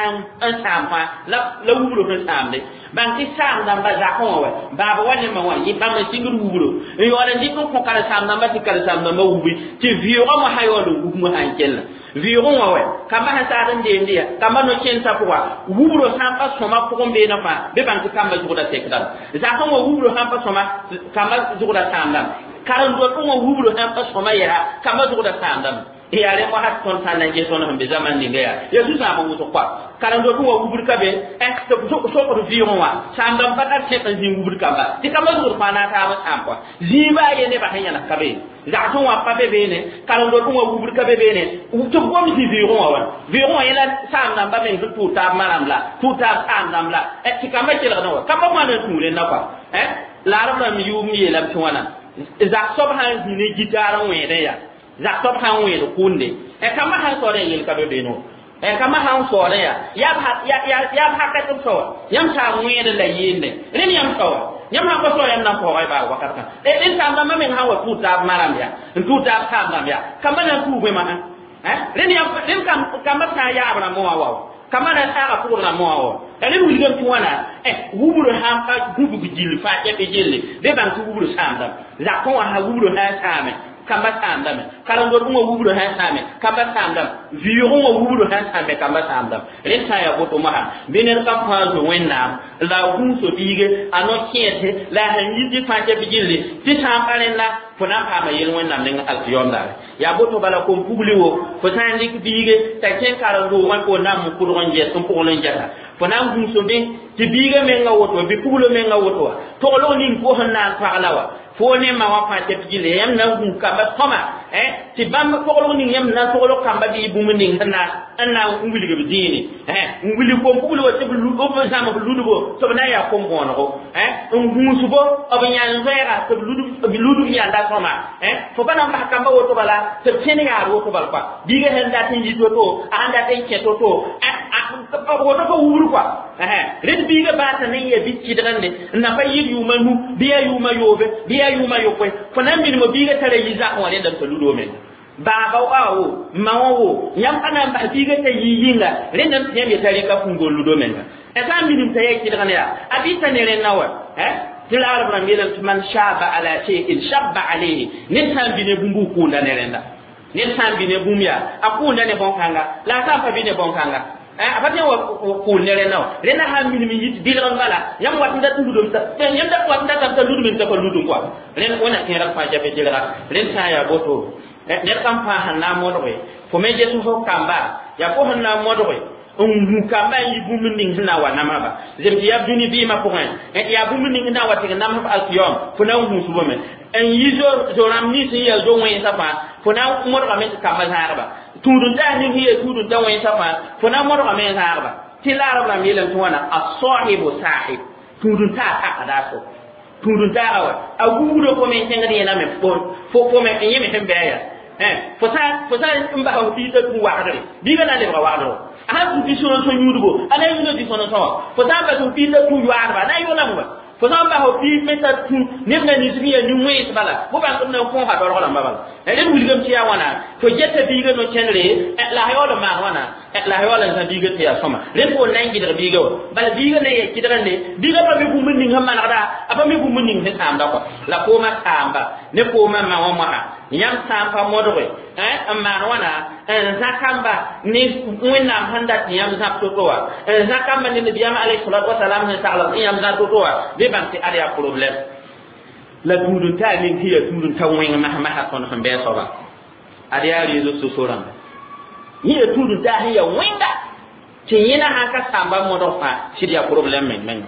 n sãam fãa la la wubro sẽn sãamde bãng tɩ saam dãmba zakẽ wã wa baaba wa ne ma wã yẽ bãmb n sɩngd wubro n yaool n dɩk n kõ karen-saam dãmba tɩ karen-saam dãmba wubi tɩ vɩʋʋgã mosã yaool n wub mosã n kella vɩʋʋgẽ wã wa kamba sẽn saad n deemde ya kamba no-kẽnsã pʋga wubro sã n pa sõma pʋgẽ beene fãa bɩ bãng tɩ kamba zʋgda tekdame zakẽ wã wubro sã n pa sõma kamba zʋgda sãamdame karen-doatẽ wã wubro sã n pa sõma yɛsa kamba zʋgda sãamdame yaa rẽ wakat tõnd sã n na n ges tõnd sẽn be zaman ninga yaa yaa zu-zãam n wʋsg koa karen-doatẽ wã wubd ka be tɩ sokd vɩʋʋgẽ wã sãamdãmb pa tar sẽk n zĩig wubd kamba tɩ kamba zʋgd fãa na n taab n sãam koa zĩig baa ye nebã sẽn yãnes ka be zagsẽ wã pa be beene karen-doatẽ wã wubd ka be beene tɩ b gom zĩ vɩʋʋgẽ wã wã vɩʋʋgẽ wã yẽla saam-dãmba meng sẽn tʋʋg taab maram la tʋʋg taab saam-dãmb la tɩ kamba kelgdẽ wa kamba wãn n tũu rẽnda koa la rb rãmb yʋʋm yeelame tɩ wãna zak soab sã n zĩ ne gitaar n wẽedẽ yaa zak soab sã n wẽed kʋʋnde kamba sãn saoodẽ yel ka be beene wã kamba sãn saoodẽ yaa yaa b hakat b saoa yãmb sã n wẽed la yeende rẽnd yãmb saoa yãmb sãn pa sao yãmb na n paoogã y baag wakat kã rẽnd saam-dãmbã meng sã n wa tʋʋg taab maram yaa n tʋʋg taab saam-dãmb yaa kamba na n tuug bõe masã rẽnd yãmb rẽnd kamba sã n yaab rãmbã wã wa kamba na n saaga pʋgd rãmbã wã wa rẽnd wilgame tɩ wãna wubro sãn pa gũbg gill fãa tɩ gilli bɩ bãng tɩ wubro sãamdame zakẽ wã sã wubro sã n sãame kamba sãamdame karen-doad wã wubro sã n sãame kamba sãamdame vɩʋʋgẽ wã wubro sã n sãame kamba sãamdame rẽnd sã n yaa boto mosã bɩ ned ka fãa zo wẽnnaam la a gũuso biige a no-kẽedse la a sẽn yit tɩ fãa tɩ gilli tɩ sã n pa rẽnda fo na n paama yel wẽnnaam neng alkiyom daare yaa boto bala kom-pugli wo fo sã n dɩk biige t'a kẽn karen-doogã fo na n pʋdg n ges n pʋgl n gɛsa fo na n gũuso bẽ tɩ biigã menga woto bɩ puglo menga woto wa toglg ning fo sẽn na n pagla wa fo ne ma wã fãa tɩ gilli yãmb na n gũus kamba sõma tɩ bãmb toglg ning yãmb na n toglg kamba bɩ bũmb ning sẽn na n na n wilg b zĩine n wilg kom-pugl wa tɩ b zãmb ludbo tɩ b na n yaa kom-bõonego n gũusbo b yãn zoɛɛga tɩ b ludb yãnda sõma fo pa na n bas kamba woto bala tɩ b kẽn yaad woto bal koa biigã sẽn dat n yit woto a sẽn dat n kẽ to-to a woto pa wubr kɔa rẽd biiga baata ne ya bɩ kɩdgende n na pa yɩl yʋʋma nu bɩ yaa yʋʋma yoobe bɩ yaa yʋʋma yopoe fo na n minimo biiga tara yi zak wã rẽndame t'a ludo menga baaba wa wo ma wã wo yãmb pa na n bas biiga t'a yɩ yĩnga rẽndame tɩ yãmb yeta rɩka kũngol ludo menga sã n minim t'a yaa kɩdgend yaa a bɩ t'a ne rẽnna wa tɩ la arab rãmb yeelame tɩ man shaba ala shay'in shabba alayhi ned sã n bɩ ne bũmb kʋʋnda ne rẽnda ned sã n bɩ ne bũmb yaa a kʋʋnda ne bõn-kãnga la a sã n pa bɩ ne bõn-kãnga a pa tõe n wa kʋʋl ne rẽnda wã rẽnda sã n minim n yit bɩlg n bala yãmb wat n dat n ludem yãmb dat wat n datame t'a ludem t'a pa ludem kɔa rẽnd wẽna kẽerg fãa jafe kelga rẽnd sã n yaa boto ned kam fãa sẽn na n modge fo me ges fo kamba yaa fo sẽn na n modge n hu kamba n yi bũmb ning sẽn na n wa namsba zem tɩ yaa dũni vɩɩmã pʋgẽ yaa bũmb ning sẽn na n wa tɩg namsb alkiyom fo na n hũusbame n yi zo-rãmb nins sẽn yaa zo-wẽnsã fãa fo na n modgame tɩ kamba zãagba tũud-n-taas ning sẽn yaa tũud-n-ta wẽnsã fãa fo na n modgame n zãagba tɩ la arab rãmb yeelame tɩ wãna a-sahibu sahib tũud-n-taas pakda a so tũud-n-taaga wa a gugdo fo me kẽngd yẽname fo fo me yẽ me sẽn bɩ a yaa fo sã fo sã n basa f biigã tũ wagdre biigã na n lebga wagdgo a sãn tũ dĩ-sõn-sõ yũudgo a na n yũuda dĩ-sõn-sõ wã fo sã n bas f biigã tũ yoaadba a na n yʋlame wa fo sã n bas f biig me t'a tũ neb na nins sẽn yaa nin-wẽns bala fo bãng b na n kõosa dorg rãmba bala rẽnd wilgame tɩ yaa wãna fo geta biigã no-kẽndre la a yaool n maan wãna la a yaool n zã biigã tɩ yaa sõma rẽnd fo n na n gɩdg biigã wã bala biigã na n yaa kɩdgende biigã pa mi bũmb ning sẽn manegda a pa mi bũmb ning sẽn sãamda kɔ la koomã saamba ne koomã ma wã moasã yãmb sã n pa modge n maan wãna n zã kamba ne wẽnnaam sẽn dat tɩ yãmb zãb to-to wã n zã kamba ne nabiyaam alayhi salatu wasalam sẽn sagl tɩ yãmb zã to-to wã bɩ bãng tɩ ad yaa problème la tũud-n-taa ning tɩ yaa tũud-n-ta wẽng mas-masã tõnd sẽn bɩ a soaba ad yaa réseaux sociaux rãmba yẽ yaa tũud-n-taa sẽn yaa wẽnga tɩ yẽna sãn ka sãamba modg fãa sɩd yaa problème meng menga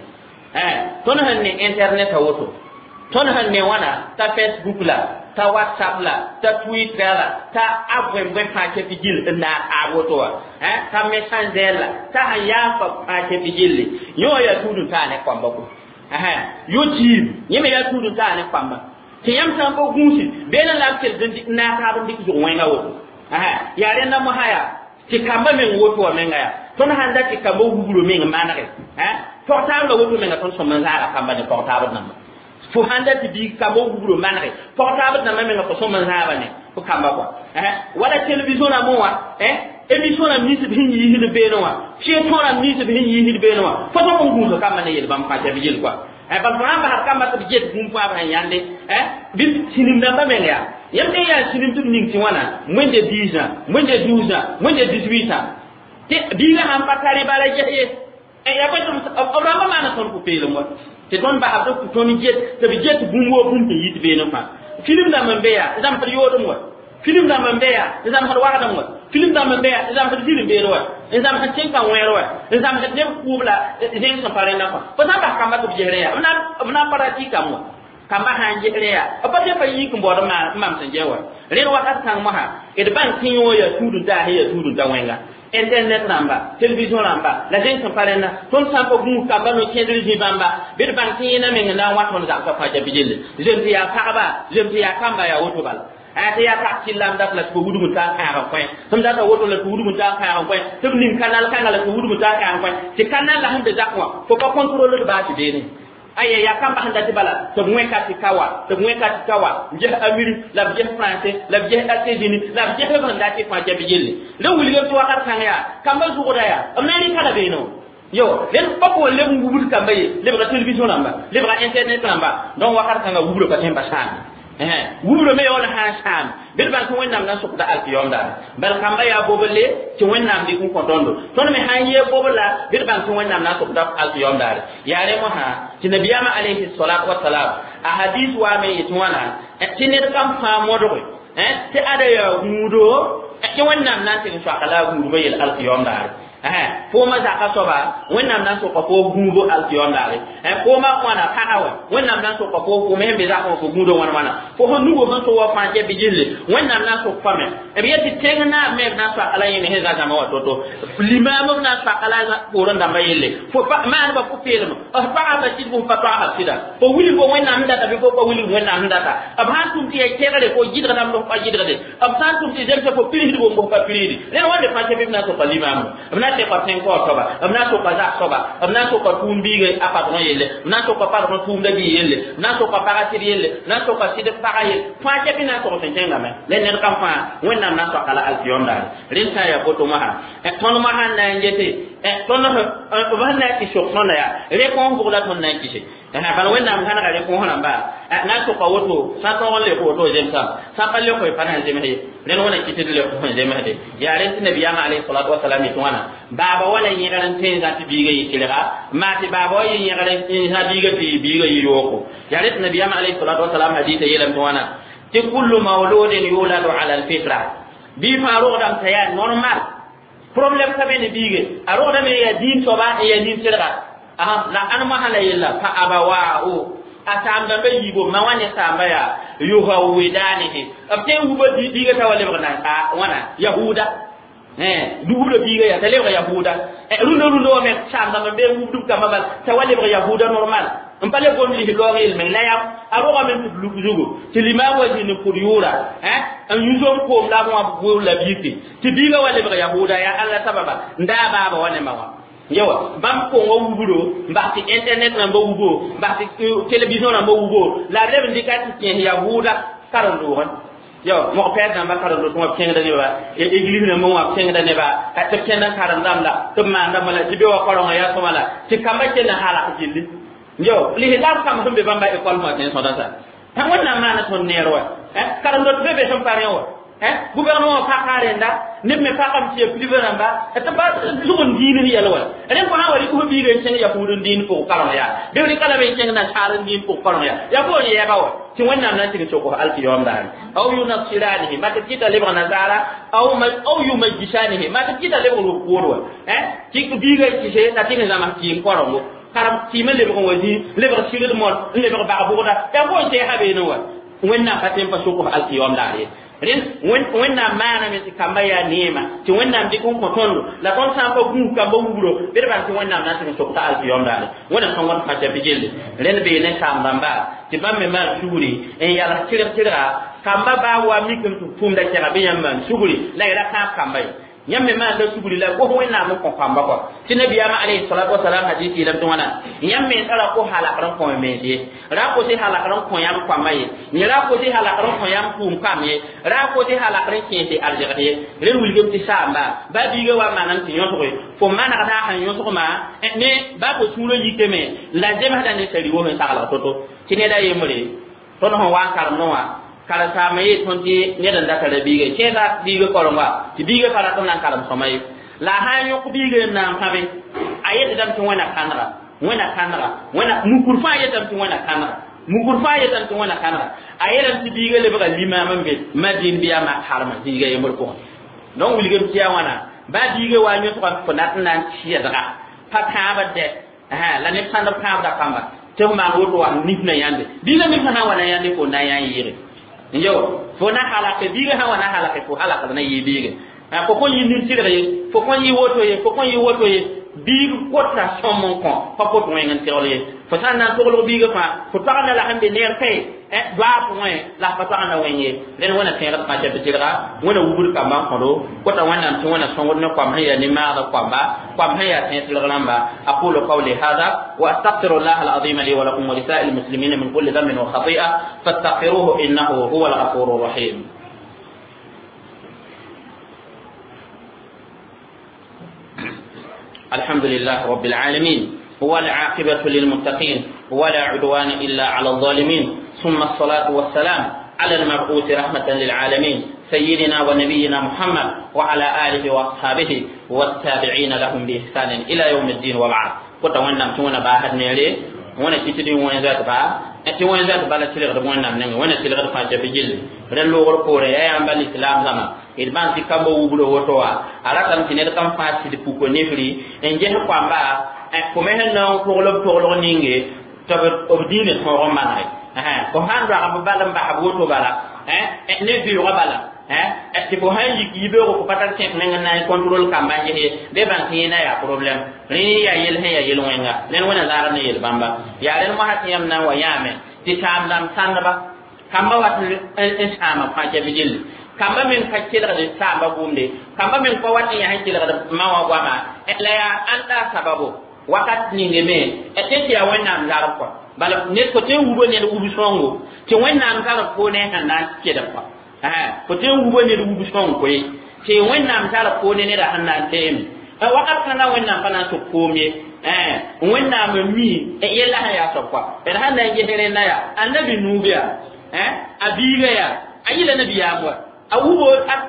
tõnd sẽn ne internet a woto tõnd sẽn ne wãna t'a Facebook la ta WhatsApp la ta Twitter la ta a bõe-bõe fãa kɛpɩ gill n naag taab woto wã ta Messenger la ta sẽn yaa fa fãa kɛpɩ gilli yẽ wã yaa tũud-n-taa ne koamba ko YouTube yẽ me yaa tũud-n-taa ne koamba tɩ yãmb sã n pa gũusi beelã la b kell n naag taab n dɩk zʋg wẽnga woto yaa rẽnda mosã yaa tɩ kamba meng woto wã menga yaa tõnd sãn da tɩ kamba wubro meng manege pɔg-taab la woto menga tõnd sõm n zaaga kamba ne pɔg-taabd namba fo sãn da tɩ biig kamba wubro manege pɔg-taabd namba menga fo sõm n zãaba ne fo kamba kɔa wala télévision rãmbẽ wã émission rãmb nins b sẽn yiisd beene wã fɩ tõ rãmb nins b sẽn yiisd beene wã fo sõm n gũusa kamba ne yel bãmb fãa tɩ b yel kɔa bal fo sãn basd kamba tɩ b get bũmb fãa b sẽn yãnde bɩ sĩnim dãmbã meng yaa yãmb tɩ yaa sĩnim tɩ b ning tɩ wãna moins de dix ans, moins de douze ans, moins de dix-huit ans tɩ biigã sãn pa tare bala ges ye yaa bõe b rãmbã maana tõnd pʋ-peelem wa tɩ tõnd basd b tõnd get tɩ b get bũmb woo bũmb sẽn yit beene fãa film dãmb n be yaa zãmsd yoodem wa film dãmb n be yaa zãmsd wagdem wa film dãmb n be yaa zãmsd zĩrim beene wa n zãmsd tẽn-kã wẽer wa n zãmsd neb kʋʋb la zẽng sẽn pa rẽndã fãa fo sã n bas kamba tɩ b gesrẽ yaa b na n pratikame wa kamba sã n gesrẽ yaa b pa pa yik n baood n maam sẽn gẽ wa rẽnd wakat kãng mosã d bãng tɩ yõ yaa tũud-n-taas sẽn yaa tũud-n-ta wẽnga internet rãmba télévision rãmba la zẽng sẽn pa rẽnda tõnd sã n pa gũus kamba no-kẽedr zĩ bãmba bɩ d bãng tɩ yẽna meng n na n wa tõnd zagsã fãa ja bijelle zem tɩ yaa pagba zem tɩ yaa kamba yaa woto bala tɩ yaa pag tɩllam dat la tɩ fo wudg n taa n kãag n kõ sẽm data woto la tɩ wudg n taa n kãag n kõ tɩ b ning kanal kãnga la tɩ wudg n taa n kãag n kõ tɩ kanal la sẽn be zak wã fo pa contrôle d baas beene aya yaa kamba sẽn dat bala tɩ b wẽka tɩ ka wa tɩ b wẽka tɩ ka wa n ges Amérique la b ges Français la b ges États-Unis la b ges b sẽn dat tɩ fãa ja bijelle la wilgame tɩ wakat kãng yaa kamba zʋgda yaa b na n rɩka la beene yo rẽnd pa pʋgẽ leb n wubd kamba ye lebga télévision rãmba lebga internet rãmba donc wakat kãngã wubro pa tõe n pa sãame wubro me yaool sã n sãam bɩ d bãng tɩ wẽnnaam na n sʋkda alkiyom daare bal kamba yaa boblle tɩ wẽnnaam dɩk n kõ tõndo tõnd me sã n yee bobla bɩ d bãng tɩ wẽnnaam na n sʋkda alkiyom daare yaa rẽ mosã tɩ nabiyaamã alayhi salatu wasalam a hadis waame yetɩ wãna tɩ ned kam fãa modge tɩ ada yaa gũudo tɩ wẽnnaam na n tɩg n soaka la a gũudbã yel alkiyom daare fooma zaka soaba wẽnnaam na n sʋka fo gũubo alkiyom daare fooma wãna pagã wã wẽnnaam na n sʋka fo fo me sẽn be zakã wã fo gũudã wãn wãna fo sẽn nugo sẽn so wa fãa jɛ bɩ gilli wẽnnaam na n sʋk fa me b yet tɩ tẽng naab me b na n soaka la yẽne sẽn zã zãma wã to-to limaam b na n soaka la poorẽ dãmbã yelle fo maanba pʋ-peelem f pagã sɩd bʋ pa toagsa sɩda fo wilg fo wẽnnaam sẽn data bɩ fo pa wilg wẽnnaam sẽn data b sã n tʋm tɩ yaa kegre fo gɩdgdame fo pa gɩdgde b sã n tʋm tɩ zemsa fo pirsd bo fo pa pirsdi rẽnd wãnde fãa kɛ bɩ b na n sʋka limaam b na Na soka tẽn-kao soaba b na n soka zak soaba b na n soka tũum biiga a patron yelle b na n soka patron tũumda bii yelle b na n soka paga sɩd yelle b na n soka sɩd paga yelle fãa kɛpɩ na n sog sẽn kẽngame la ned kam fãa wẽnnaam na n soaka la alkiyom daare rẽnd sã n yaa boto mosã tõnd mosã n na n gete tõnd b sẽn na n tɩ sok tõnda yaa réponse bʋg la tõnd na n kɩse bala wẽnnaam kãnega réponse rãmba na n soka woto sã n tõog n lek woto zemsam sã n pa lek pa na n zems ye rẽnd wẽna kɩ tɩ d lek sẽn zemsde yaa rẽnd tɩ nabiyaamã alayhi salatu wasalam yetɩ wãna baaba wala yẽgr n tõe n zã tɩ biiga yɩ tɩlga maa tɩ baaba wa yɩ yẽgr n zã biiga tɩ biiga yɩ yooko yaa rẽ tɩ nabiyaamã alayhi salatu wasalam hadisa yeelame tɩ wãna tɩ kullu mawludin yuladu ala alfitra bii fãa rogdame t'a yaa normal problème ka be ne biige a rogdame yaa diin soaba n yaa nin tɩlga la ãn mosã la yella fa abawaahu a saam-dãmba yiibo ma wa ne saamba yaa yuhawidanihi b tõe n wuba biiga t'a wa lebg na wãna yahuda dugubla biiga yaa t'a lebg yahuda rũndã rũndã wa me saam-dãmba be n wubdb kambã bal t'a wa lebg yahuda normal n pa le gom lis loog yel-meng la yaa a rogame tɩ b luk zugu tɩ limaam wa zĩnd n pʋd yʋʋra n yũ zom koom la b wã b la biike tɩ biiga wa lebg yahuda yaa alla sababa n daa baaba wa ne ma wã yawa bãmb kongo wubro n bas tɩ internet rãmba wubo n bas tɩ télévision rãmba wubo la b leb n dɩka tɩ kẽes yahuuda karen-doogẽ yawa mog-pɛɛd rãmba karen-doog tɩ wã b kẽngda nebã église rãmba wã b kẽngda neba tɩ b kẽnd n karen-dãmb la tɩ b maandame la tɩ be wa kaorengã yaa sõma la tɩ kambã kell n halg gilli yo lislaam kãmb sẽn be bãmba école fãa tẽ sõda sa wẽnnaam maana tõnd neer wa karen-dot be be sẽn pa rẽ wa gouvernement paka rẽnda neb me pakame tɩ ya privé rãmba tɩ pa zug n diin yɛl wa rẽ fo sã wa rɩk fo biiga n kẽng yahuud n diin pʋg kareng yaa bɩ f rɩka lame n kẽng nasaar n diin pʋg kareng yaa yaa foon yɛɛba wa tɩ wẽnnaam na n tɩg sokos alkiyoom daare aw yunasiranihi mat tɩ kɩta lebg nasaara aw yumajjisanihi mat tɩ kɩta lebg rʋk-poor wa tɩ biiga kɩse t'a tɩg n zãms kɩɩm korengo karem kɩɩmã lebg n wa zĩ lebg sigd mor n lebg bag-bʋgda yaa foon sɛɛsa beene wa wẽnnaam pa tõe n pa sokos alkiyoom daare ye rẽnd wẽnnaam maaname tɩ kamba yaa neema tɩ wẽnnaam dɩk n kõ tõndo la tõnd sã n pa gũus kamba wubro bɩ d bãng tɩ wẽnnaam na n tɩg n sok t'a alkiyom daare wẽnnaam sẽn wãn fãa bɩ gelle rẽnd bee ne saam-dãmba tɩ bãmb me maan sugri n yals tɩrg tɩrga kamba baa wa mikame tɩ tʋʋmda kɛga bɩ yãmb maan sugri la y ra kãab kamba ye yãmb me maanda sugri la gos wẽnnaam n kõ kamba kɔ tɩ nabiyaamã alayhi salatu wasalam hadis yeelame tɩ wãna yãmb me tara ko halagr n kõ mens ye ra kos halagr n kõ yãmb koamã ye yẽ ra kos halagr n kõ yãmb tʋʋm kam ye ra kos halagr n kẽes arzegd ye rẽnd wilgame tɩ saamba ba biiga wa manam tɩ yõsge fo manegda sẽn yõsgmã ne ba fo sũurã yikame la zemsda ne sari wos n saglg to-to tɩ ned a yembre tõnd sẽn wa n karemdẽ wã karen-saama yee tõnd tɩ ned n data ra biiga kẽesa biiga koreng wa tɩ biiga pa ratm na n karem sõma ye la a sã n yõk biiga n na n pãbe a yetdame tɩ wẽna kãnega wẽna kãnega wẽna mukur fãa yetame tɩ wẽna kãnega mukur fãa yetame tɩ wẽna kãnega a yeelame tɩ biiga lebga limaam n be madin bɩ yaa mak harma zĩiga yembr pʋgẽ donc wilgame tɩ yaa wãna ba biiga wa yõsga fo nat n na n tɩɛdga pa kãabd dɛ la neb sãnd b kãabda kamba tɩ f maan woto wa nif na yãnde biiga nif sã n wa na yãnde fo na yã n yɩɩge yo fo na halake biiga sã wa na halake fo halakd na yɩ biige fo kõn yɩ nin-tɩrg ye fo kõn yɩ woto ye fo kõn yɩ woto ye biig kota sõm n kõ pa pot wẽng n tɩgl ye fo sã n na n toglg biiga fãa fo toagda la sẽn be neer kae doaab pʋgẽ la f pa toagda wẽng ye rẽnd wẽna tẽegd fãa tɩ tɩrga wẽna wubd kambã n kõdo kota wẽnnaam tɩ wẽna sõngd ne koam sẽn yaa ne-maagd koamba koam sẽn yaa tẽeg tɩrg rãmba aqulu qawli hada wa astaghfiru llah alazima li wa lakum wa lisa'il muslimina min kulli dhanbin wa khati'a fastaghfiruhu innahu huwa alghafuru rahim الحمد لله رب العالمين والعاقبة للمتقين ولا عدوان إلا على الظالمين ثم الصلاة والسلام على المبعوث رحمة للعالمين سيدنا ونبينا محمد وعلى آله وأصحابه والتابعين لهم بإحسان إلى يوم الدين وبعد كنت وانا توانا باهد نيلي وانا تتدي وانا ذات با tɩ wẽn zat bala tɩlgd wẽnnaam nengẽ wẽnna tɩlgd fãa tɩ gilli rẽ loogr poorẽ yaa yãmb lislaam zãma d bãng tɩ kamba wubro woto wã a ratame tɩ ned kam fãa sɩd puko nefri n ges koamba fo me sẽn na n togl b toglg ninge tɩ b diinã tõog n manege fo sã n doag b bal n bas b woto bala ne vɩʋʋgã bala tɩ fo sã n yik yibeoogo fo pa tar tẽk neng n na n contrôle kamba n ges ye bɩ bãng tɩ yẽna yaa problème rẽ yaa yel sẽn yaa yel-wẽnga ned wẽna zaagd ne yel-bãmba yaa rẽnd mosã tɩ yãmb na n wa yãame tɩ saam-dãmb sãndba kamba wat n sãama fãa tɩ gilli kamba men ka kelgd saamba bũmde kamba men pa wat n yaa sẽn kelgd ma wã goama La yaa ãnda sababo wakat ninge me tɩ tɩ yaa Wẽnnaam zarb kɔa bala ned fo tõe n wuba ned wub sõngo tɩ Wẽnnaam zarb fo ne sẽn na n kelg kɔa fo tõe n wuba ned wub sõng koe tɩ Wẽnnaam zarb fo ne neda sẽn na n teeme wakat kãngã Wẽnnaam pa na n sʋk koom ye Wẽnnaam n mi yella sẽn yaa soab kɔa d sẽn na n ges rẽnda yaa annabi Nuub yaa a biiga yaa a yɩla nabiyaam wa a wubo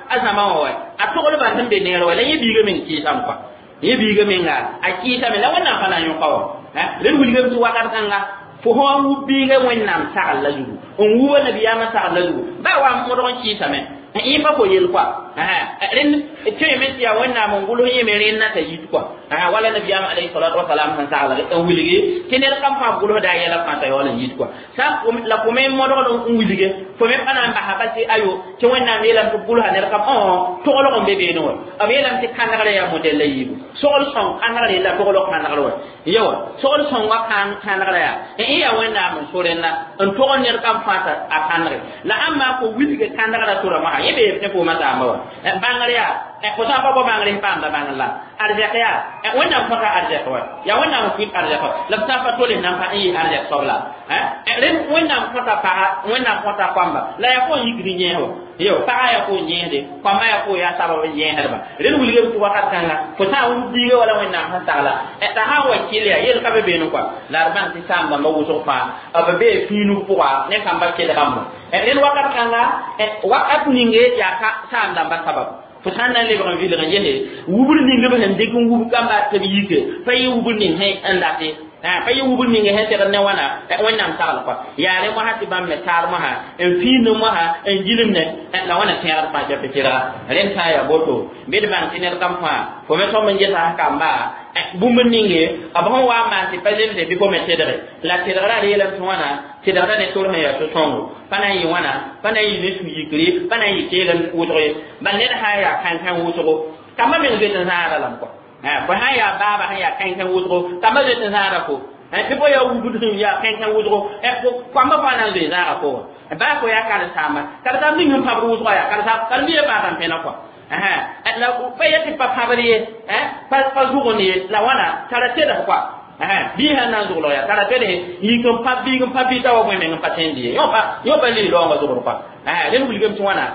a zãma wã wa a toglba sẽn be neer wa la yẽ biiga meng kɩɩsame kɔa yẽ biiga menga a kɩɩsame la Wẽnnaam pa na n yõka wa rẽnd wilgame tɩ wakat kãnga fo sã n wub biiga Wẽnnaam sagl la zugu n wuba nabiyaamã sagl la zugu baa wa modg n kɩɩsame yẽ pa fo yel kɔa rẽnd tõeme tɩ yaa Wẽnnaam n gʋls yẽme rẽnna t'a yit kɔa wala nabiyaam alayhi salatu wasalam sẽn sagl n wilge tɩ ned kam fãa gʋlsda a yɛla fãa t'a yaool n yit kɔa sã la fo me modgd n wilge fo me pa na n basa pa tɩ ayo tɩ Wẽnnaam yeelame tɩ gʋlsa ned kam toglg n be beene wa b yeelame tɩ kãnegrã yaa modɛl la yiibu sogl sõng kãnegrã yella toglg kãnegr wa yawa sogl sõngã kãnegrã yaa yẽ yaa Wẽnnaam n so rẽnna n tog ned kam fãa t'a a kãnegre la ãmb maa fo wilge kãnegrã tora mosã yẽ bee ne fooma saamba wa bãngr yaa fo sã n pa bao bãngr sẽn paamda bãngr la arzɛk yaa Wẽnnaam kõta arzɛk wa yaa Wẽnnaam n pʋɩt arzɛk wa la b sã n pa tol nan pa n yɩ arzɛk soab la rẽnd Wẽnnaam kõta paga Wẽnnaam kõta koamba la yaa fo n yikd yẽes wa yo paga yaa fo n yẽesde koamba yaa fo yaa sabab n yẽesdba rẽnd wilgame tɩ wakat kãnga fo sã n wub biiga wala Wẽnnaam sẽn sagla t'a sã n wa kɩl yaa yel ka be beene kɔa la d bãng tɩ saam dãmbã wʋsg fãa b bee fĩinug pʋga ne kamba kelgame rẽnd wakat kãnga wakat ninge yaa saam dãmbã sabab fo sã n na n lebg n vilg n gese wubr ning b sẽn dɩk n wub kamba tɩ b yike pa yɩ wubr ning sẽn n date pa yɩ wubr ning sẽn segd ne wãna Wẽnnaam sagl kɔa yaa rẽ mosã tɩ bãmb me taar mosã n fiind mosã n gilmne la wãna tẽegd fãa tɩ kelga rẽnd sã n yaa boto bɩ d bãng tɩ ned kam fãa fo me sõm n gesa kamba bũmb ninge b sẽn wa n maan tɩ pa zemse bɩ fo me tedge la tedgrã d yeelame tɩ wãna tedgrã ne tor sẽn yaa so-sõngo pa na n yɩ wãna pa na n yɩ ne sũ-yikre pa na n yɩ keelem wʋsg ye bal ned sã n yaa kãn-kãn wʋsgo kamba meng zoet n zãada lame kɔa fo sã n yaa baaba sẽn yaa kãn-kãn wʋsgo kamba zoet n zãada fo tɩ fo yaa wubd sẽn yaa kãn-kãn wʋsgo koamba fãa na n zoe zãaga fo wa baa fo yaa karen-saamba karen-saam ning sẽn pãbd wʋsga yaa karen-biigã paasa n pẽna kɔa la pa yet tɩ pa pãbd ye pa zʋgend ye la wãna tara tedg kɔa bii sãn na n zʋglg yaa tara tedse yik n pãb biig n pãb biig t'a wa bõe meng n pa tẽnd ye yõ pa lii raoongã zʋgd kɔa rẽnd wilgame tɩ wãna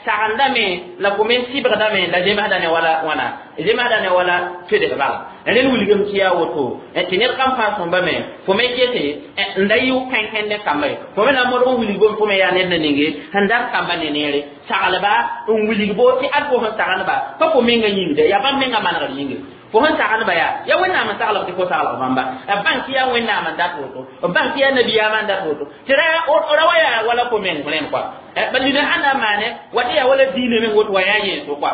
sagendame la fo me sɩbgdame la zemsda ne wala wãna zemsda ne wala tedg bala rẽnd wilgame tɩ yaa woto tɩ ned kam fãa sõmba me fo me gese n da yɩ kãn-kãn ne kamba ye fo me na n modg n wilg bõmb fo me yaa ned na ninge sẽn dat kamba ne neere saglba n wilg bo tɩ ad fo sẽn sagendba pa fo menga yĩngde yaa bãmb menga manegd yĩnge fo sẽn sagendba yaa yaa Wẽnnaam n saglg tɩ fo saglg bãmba bãng tɩ yaa Wẽnnaam n dat woto bãng tɩ yaa nabiyaamã n dat woto tɩ ra wa yaa wala fo meng rẽnd kɔa ba dĩnã sãn na n maane wa tɩ yaa wala diinã meng woto wa yaa yẽen-so kɔa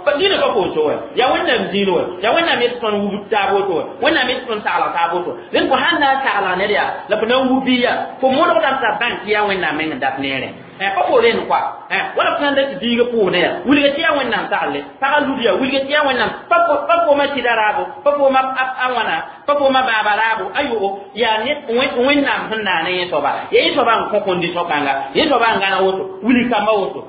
ba dĩnã pa foon so wa yaa Wẽnnaam dĩin wa yaa Wẽnnaam yet tɩ tõnd wub taab woto wa Wẽnnaam yet tɩ tõnd saglg taab woto rẽnd fo sãn na n saglg ned yaa la fo na n wub bii yaa fo modgdame t'a bãng tɩ yaa Wẽnnaam meng n dat neerẽ pa fo rẽnd kɔa wala fo sãn da tɩ biiga pʋʋsdẽ yaa wilga tɩ yaa Wẽnnaam sagle pagã lud yaa wilga tɩ yaa Wẽnnaam pa fooma tɩda raabo pa fooma a wãna pa fooma baaba raabo ayo yaa Wẽnnaam sẽn naane yẽ soaba yaa yẽ soaba n kõ kondisõ kãnga yẽ soaba n gãna woto wilg kamba woto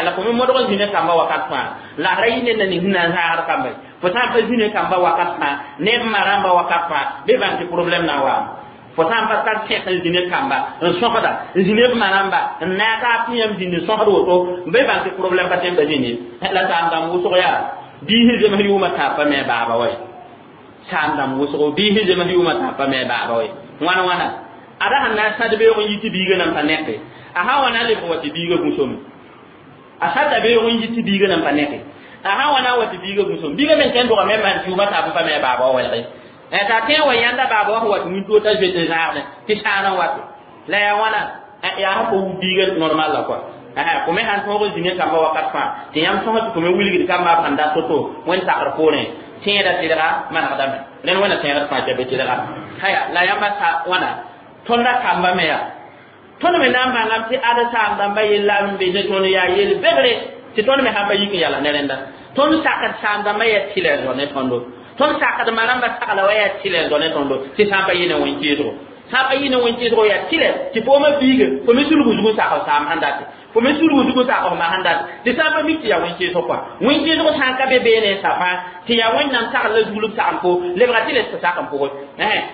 la fo me modg n zĩna kamba wakat fãa la ra yɩ ned na ning sẽn na n zãagd kamba ye fo sã n pa zĩna kamba wakat fãa neb ma rãmba wakat fãa bɩ bãng tɩ problɛm na n waame fo sã n pa tar tẽk n zĩna kamba n sõsda n zĩna b ma rãmba n naag taab tɩ yãmb zĩnd n sõsd woto bɩ bãng tɩ problɛm pa tõe n pa zĩnd ye la saam dãmb wʋsg yaa biis zems yʋʋmã tãab pa me baaba wa ye saam dãmb wʋsgo biis zems yʋʋmã tãab pa me baaba wa ye wãna wãna ada sẽn na n sãd beoog n yi tɩ biigã nan pa neke a sã wa na n lebg wa tɩ biigã gũsome a sãda beoog n yi tɩ biigã nan pa neke a sã wa na n wa tɩ biigã gũsome biigã meng kẽn dogame maan tɩ yʋʋmã taab n pa me baaba wa welge t'a tẽ wa yãnda baaba wa sẽn wa tɩ wĩntoog t'a zoet n zãagdẽ tɩ sãan n wate la yaa wãna yaa sã fo wub biigã normal la kɔa fo me sãn tõog n zĩna kamba wakat fãa tɩ yãmb sõs tɩ fo me wilgd kamba b sẽn dat to-to wẽnd sakr poorẽ tẽeda tɩdga manegdame rẽnd wẽnna tẽegd fãa tɩ be tɩdga haya la yãmba sa wãna tõnda kamba me yaa tõnd me na n bãngame tɩ ad saam dãmba yella n be ne tõnd yaa yel begre tɩ tõnd me sãn pa yik n yala ne rẽnda tõnd sakd saam dãmba yaa tɩlɛ n zõ ne tõndo tõnd sakd ma rãmba sagla wa yaa tɩlɛ n zõ ne tõndo tɩ sã n pa yɩ ne wẽn-kɩɩsgo sã n pa yɩ ne wẽn-kɩɩsgo yaa tɩlɛ tɩ fooma biiga fo me sulg zug n sakb saam sẽn date fo me sulgu zugu sa o ma handa tɩ sã n pa mik tɩ yaa wẽn-keesg kɔa wẽn-keesg sã n ka be beene sa fãa tɩ yaa Wẽnnaam tagl la zugl b sagem fo lebga tɩ les fo sak n pʋgẽ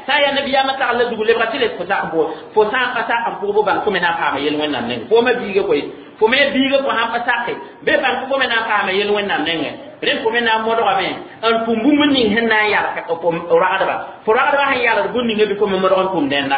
sã n yaa nabiyaamã tagl la zugl lebga tɩ les fo sak n pʋgẽ fo sã n pa sak n pʋg bo bãng fo me na n paama yel Wẽnnaam nengẽ fo ma biiga koe fo me biiga fo sãn pa sake be bãng fo me na n paama yel Wẽnnaam nengẽ rẽnd fo me na n modgame n tʋm bũmb ning sẽn na n yalg ragdba fo ragdba sẽn yalg bũmb ninga bɩ fo me modg n tʋm dẽnda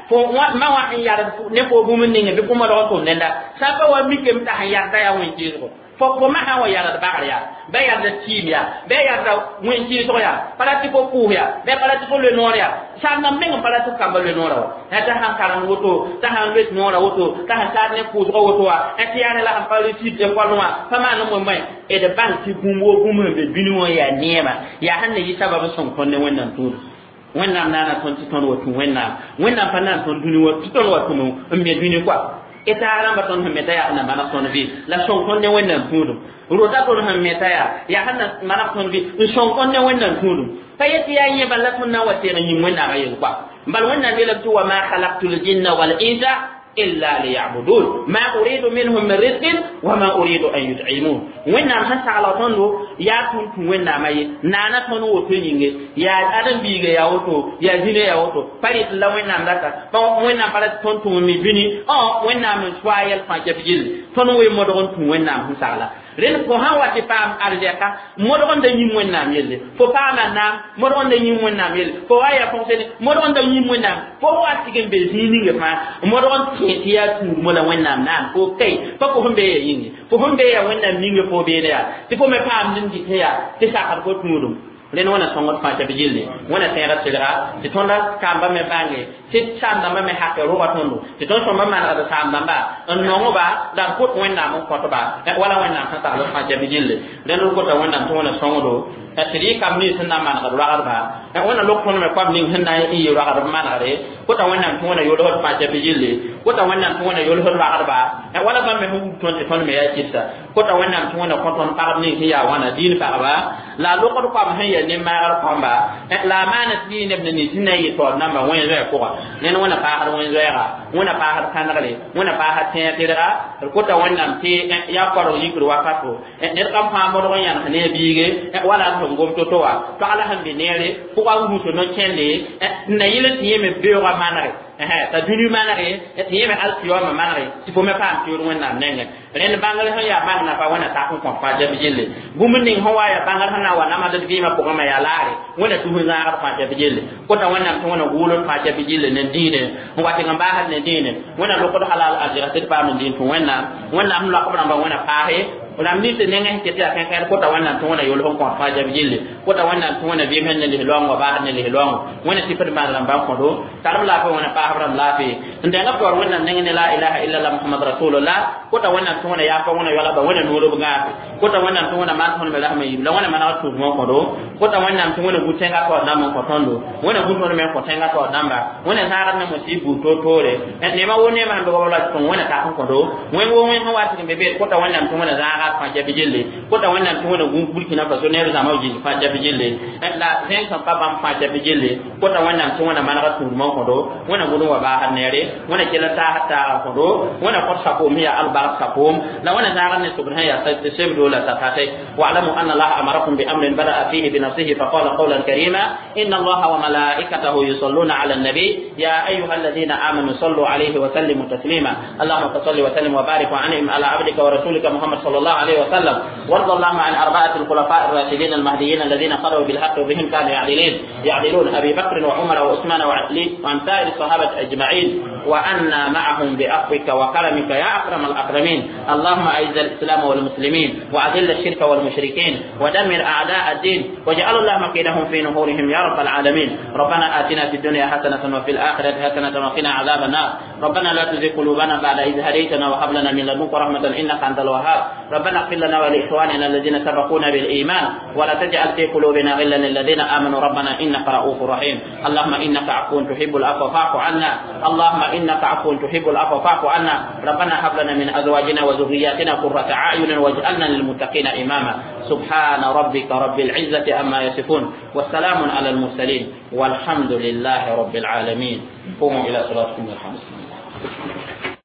fo ma wã sẽn yalg ne fo bũmb ninga bɩ fo modg n tʋm dẽnda sã n pa wa mikame t'a sẽn yalda yaa wẽn-keesgo fo fo ma sã n wa yald bagr yaa bɩ yalda tɩɩm yaa bɩ yalda wẽn-keesg yaa pa ra tɩ fo pʋʋs yaa bɩ pa ra tɩ fo loe noor yaa sãn n meng n pa ra tɩ f kamba loe noorã wa t'a sãn karemd woto t'a sãn loet noorã woto t'a sãn taad ne pʋʋsgã woto wa tɩ yaa ne la sẽn pa resid école wã pa maan n moe d bãng tɩ bũmb wo bũmb sẽn be bĩni wã yaa neema yaa sẽn na yɩ sabab n sõng tõnd ne Wẽnnaam tũud Wẽnnaam naana tõnd tɩ tõnd wa tũ Wẽnnaam Wẽnnaam pa naan tõnd dũni wa tɩ tõnd wa tũm n me dũni koa t'a rãmba tõnd sẽn meta yaa na maneg tõnd vɩ la sõng tõnd ne Wẽnnaam tũudum rota tõnd sẽn meta yaa yaa sẽn na maneg tõnd vɩ n sõng tõnd ne Wẽnnaam tũudum pa yet tɩ yaa yẽ bala la tõnd na n wa teeg n yĩm Wẽnnaamã yel koa bal Wẽnnaam yeelame tɩ wa ma khalaqtu ljinna wal insa إلا ليعبدون ما أريد منهم من رزق وما أريد أن يطعمون وين نام سان sagla tõndo yaa tõnd tũ Wẽnnaamã ye naana tõnd woto yĩnge yaa ãdem-biiga yaa woto yaa zĩnã yaa woto pa rɩt la Wẽnnaam rata Wẽnnaam pa ra tɩ tõnd tũm me bĩni Wẽnnaam n soa yɛl fãa kɛf gilli tõnd wee modg n tũ Wẽnnaam sẽn sagla rẽnd fo sã n wa tɩ paam arzɛka modg n da yĩm Wẽnnaam yelle fo paama naam modg n da yĩm Wẽnnaam yelle fo wa yaa fonctionnaire modg n da yĩm Wẽnnaam fo wa tɩg n be zĩig ninga fãa modg n tẽ tɩ yaa tũudmã la Wẽnnaam naam fo kai pa fo sẽn be ya yĩnge fo sẽn be ya Wẽnnaam ninga fo beene yaa tɩ fo me paamd n dɩt yaa tɩ sakd fo tũudum rẽnd wẽna sõngd fãa tɩ b gilli wẽna tẽegã selga tɩ tõnda kamba me bãnge tɩ saam-dãmbã me hake rʋga tõndo tɩ tõnd sõmba manegd saam-dãmba n nongba la d kot Wẽnnaam n kõtba wala Wẽnnaam sẽn tagl fãa tɩ b gilli rẽnd d kota Wẽnnaam tɩ wẽna sõngdo tɩ d yɩ kamb nins sẽn na n manegd ragdba wẽna lok tõnd me koam ning sẽn na n yɩ ragdb manegre kota Wẽnnaam tɩ wẽna yolsd fãa tɩ b gilli kota Wẽnnaam tɩ wẽna yolsd ragdba wala bãmb me sẽn wub tõnd tɩ tõnd me yaa kɩsa kota Wẽnnaam tɩ wẽna kõ tõnd pagb nins sẽn yaa wãna diin pagba la lokd koam sẽn yaa ne-maagr kõmba la a maana tɩ yɩ neb ne nins sẽn na n yɩ taoor namba wẽn-zoɛɛ pʋga ned wẽna paasd wẽn-zoɛɛga wẽna paasd kãnegre wẽna paasd tẽeg tɩrga d kota Wẽnnaam tɩ yaa korg yikr wakato ned kam fãa modg n yãnes ne a biige wala d sẽn gom to-to wã pagla sẽn be neere pʋga n gũs no-kẽnde n na yɩl tɩ yẽ me beoogã manege t'a dũni manege tɩ yẽ me alkiyoma manege tɩ fo me paam tɩʋʋd Wẽnnaam nengẽ rẽnd bãngr sẽn yaa bãng nafa wẽna tak n kõ fãa tɩ b gilli bũmb ning sẽn wa yaa bãngr sẽn na n wa namsd d vɩɩmã pʋgẽ me yaa laare wẽna tus n zãagd fãa tɩ b gilli kota Wẽnnaam tɩ wẽna gʋʋld fãa tɩ b gilli ne dĩine n wa tɩg n baasd ne dĩine wẽna lokd halal arzɩg tɩ d paam n dĩin tũ Wẽnnaam Wẽnnaam sẽn loak b rãmbã wẽna paase ram nins nengẽ sẽn ket yaa kẽnkẽr kota Wẽnnaam tɩ wẽna yolg n kõt fãa tɩ b gilli kota Wẽnnaam tɩ wẽna vɩɩm sẽn ne lis-loaong wa baasd ne lis-loaongo wẽna sɩf d maan rãmba n kõdo tarb laafɩ wẽna paasb rãmb laafɩ n dẽng b taoor Wẽnnaam nengẽ ne la ilaha illallah Muhammad rasulullah kota Wẽnnaam tɩ wẽna yaapa wẽna yoalba wẽna noor b gãase kota Wẽnnaam tɩ wẽna maan tõnd me rasmã yiib la wẽna manegd tũudmã n kõdo kota Wẽnnaam tɩ wẽna gu tẽngã taoor dãmb n kõ tõndo wẽna gu tõnd me n kõ tẽngã taoor dãmba wẽna zãagd ne mosɩ buud toor-toore neema wo neema sẽn be goam la tɩ tõng wẽna tak n kõdo wẽng wo wẽng sẽn wa tɩg n be beed kota Wẽnnaam tɩ wẽna zãaga fãa tɩ b gilli kota Wẽnnaam tɩ wẽna gũ Burkina Faso neb zãma b gilli fãa tɩ b gilli la zẽng sẽn pa bãmb fãa tɩ b gilli kota Wẽnnaam tɩ wẽna manega tũudmã n kõdo wẽna gʋd n wa baasd neere wẽna kell n taasd taaga n kõdo wẽna kõt sakoom sẽn yaa albark sakoom la wẽna zãagd ne sobd sẽn yaa sebdo la sakate واعلموا أن الله أمركم بأمر بدأ فيه بنفسه فقال قولا كريما إن الله وملائكته يصلون على النبي يا أيها الذين آمنوا صلوا عليه وسلموا تسليما اللهم صل وسلم وبارك وأنعم على عبدك ورسولك محمد صلى الله عليه وسلم وارض اللهم عن أربعة الخلفاء الراشدين المهديين الذين قضوا بالحق وبهم كانوا يعدلون يعدلون أبي بكر وعمر وعثمان وعلي وعن سائر الصحابة أجمعين وأنا معهم بعفوك وكرمك يا أكرم الأكرمين اللهم أعز الإسلام والمسلمين وأذل الشرك والمشركين ودمر أعداء الدين واجعل اللهم كيدهم في نحورهم يا رب العالمين ربنا آتنا في الدنيا حسنة وفي الآخرة حسنة وقنا عذاب النار ربنا لا تزغ قلوبنا بعد إذ هديتنا وهب لنا من لدنك رحمة إنك أنت الوهاب ربنا اغفر لنا ولإخواننا الذين سبقونا بالإيمان ولا تجعل في قلوبنا غلا للذين آمنوا ربنا إنك رؤوف رحيم اللهم إنك عفو تحب العفو فاعف عنا اللهم إنك عفو تحب العفو فاعف عنا ربنا هب لنا من أزواجنا وذرياتنا قرة أعين واجعلنا للمتقين إماما سبحان ربك رب العزة عما يصفون والسلام على المرسلين والحمد لله رب العالمين قوموا إلى صلاتكم الخمس.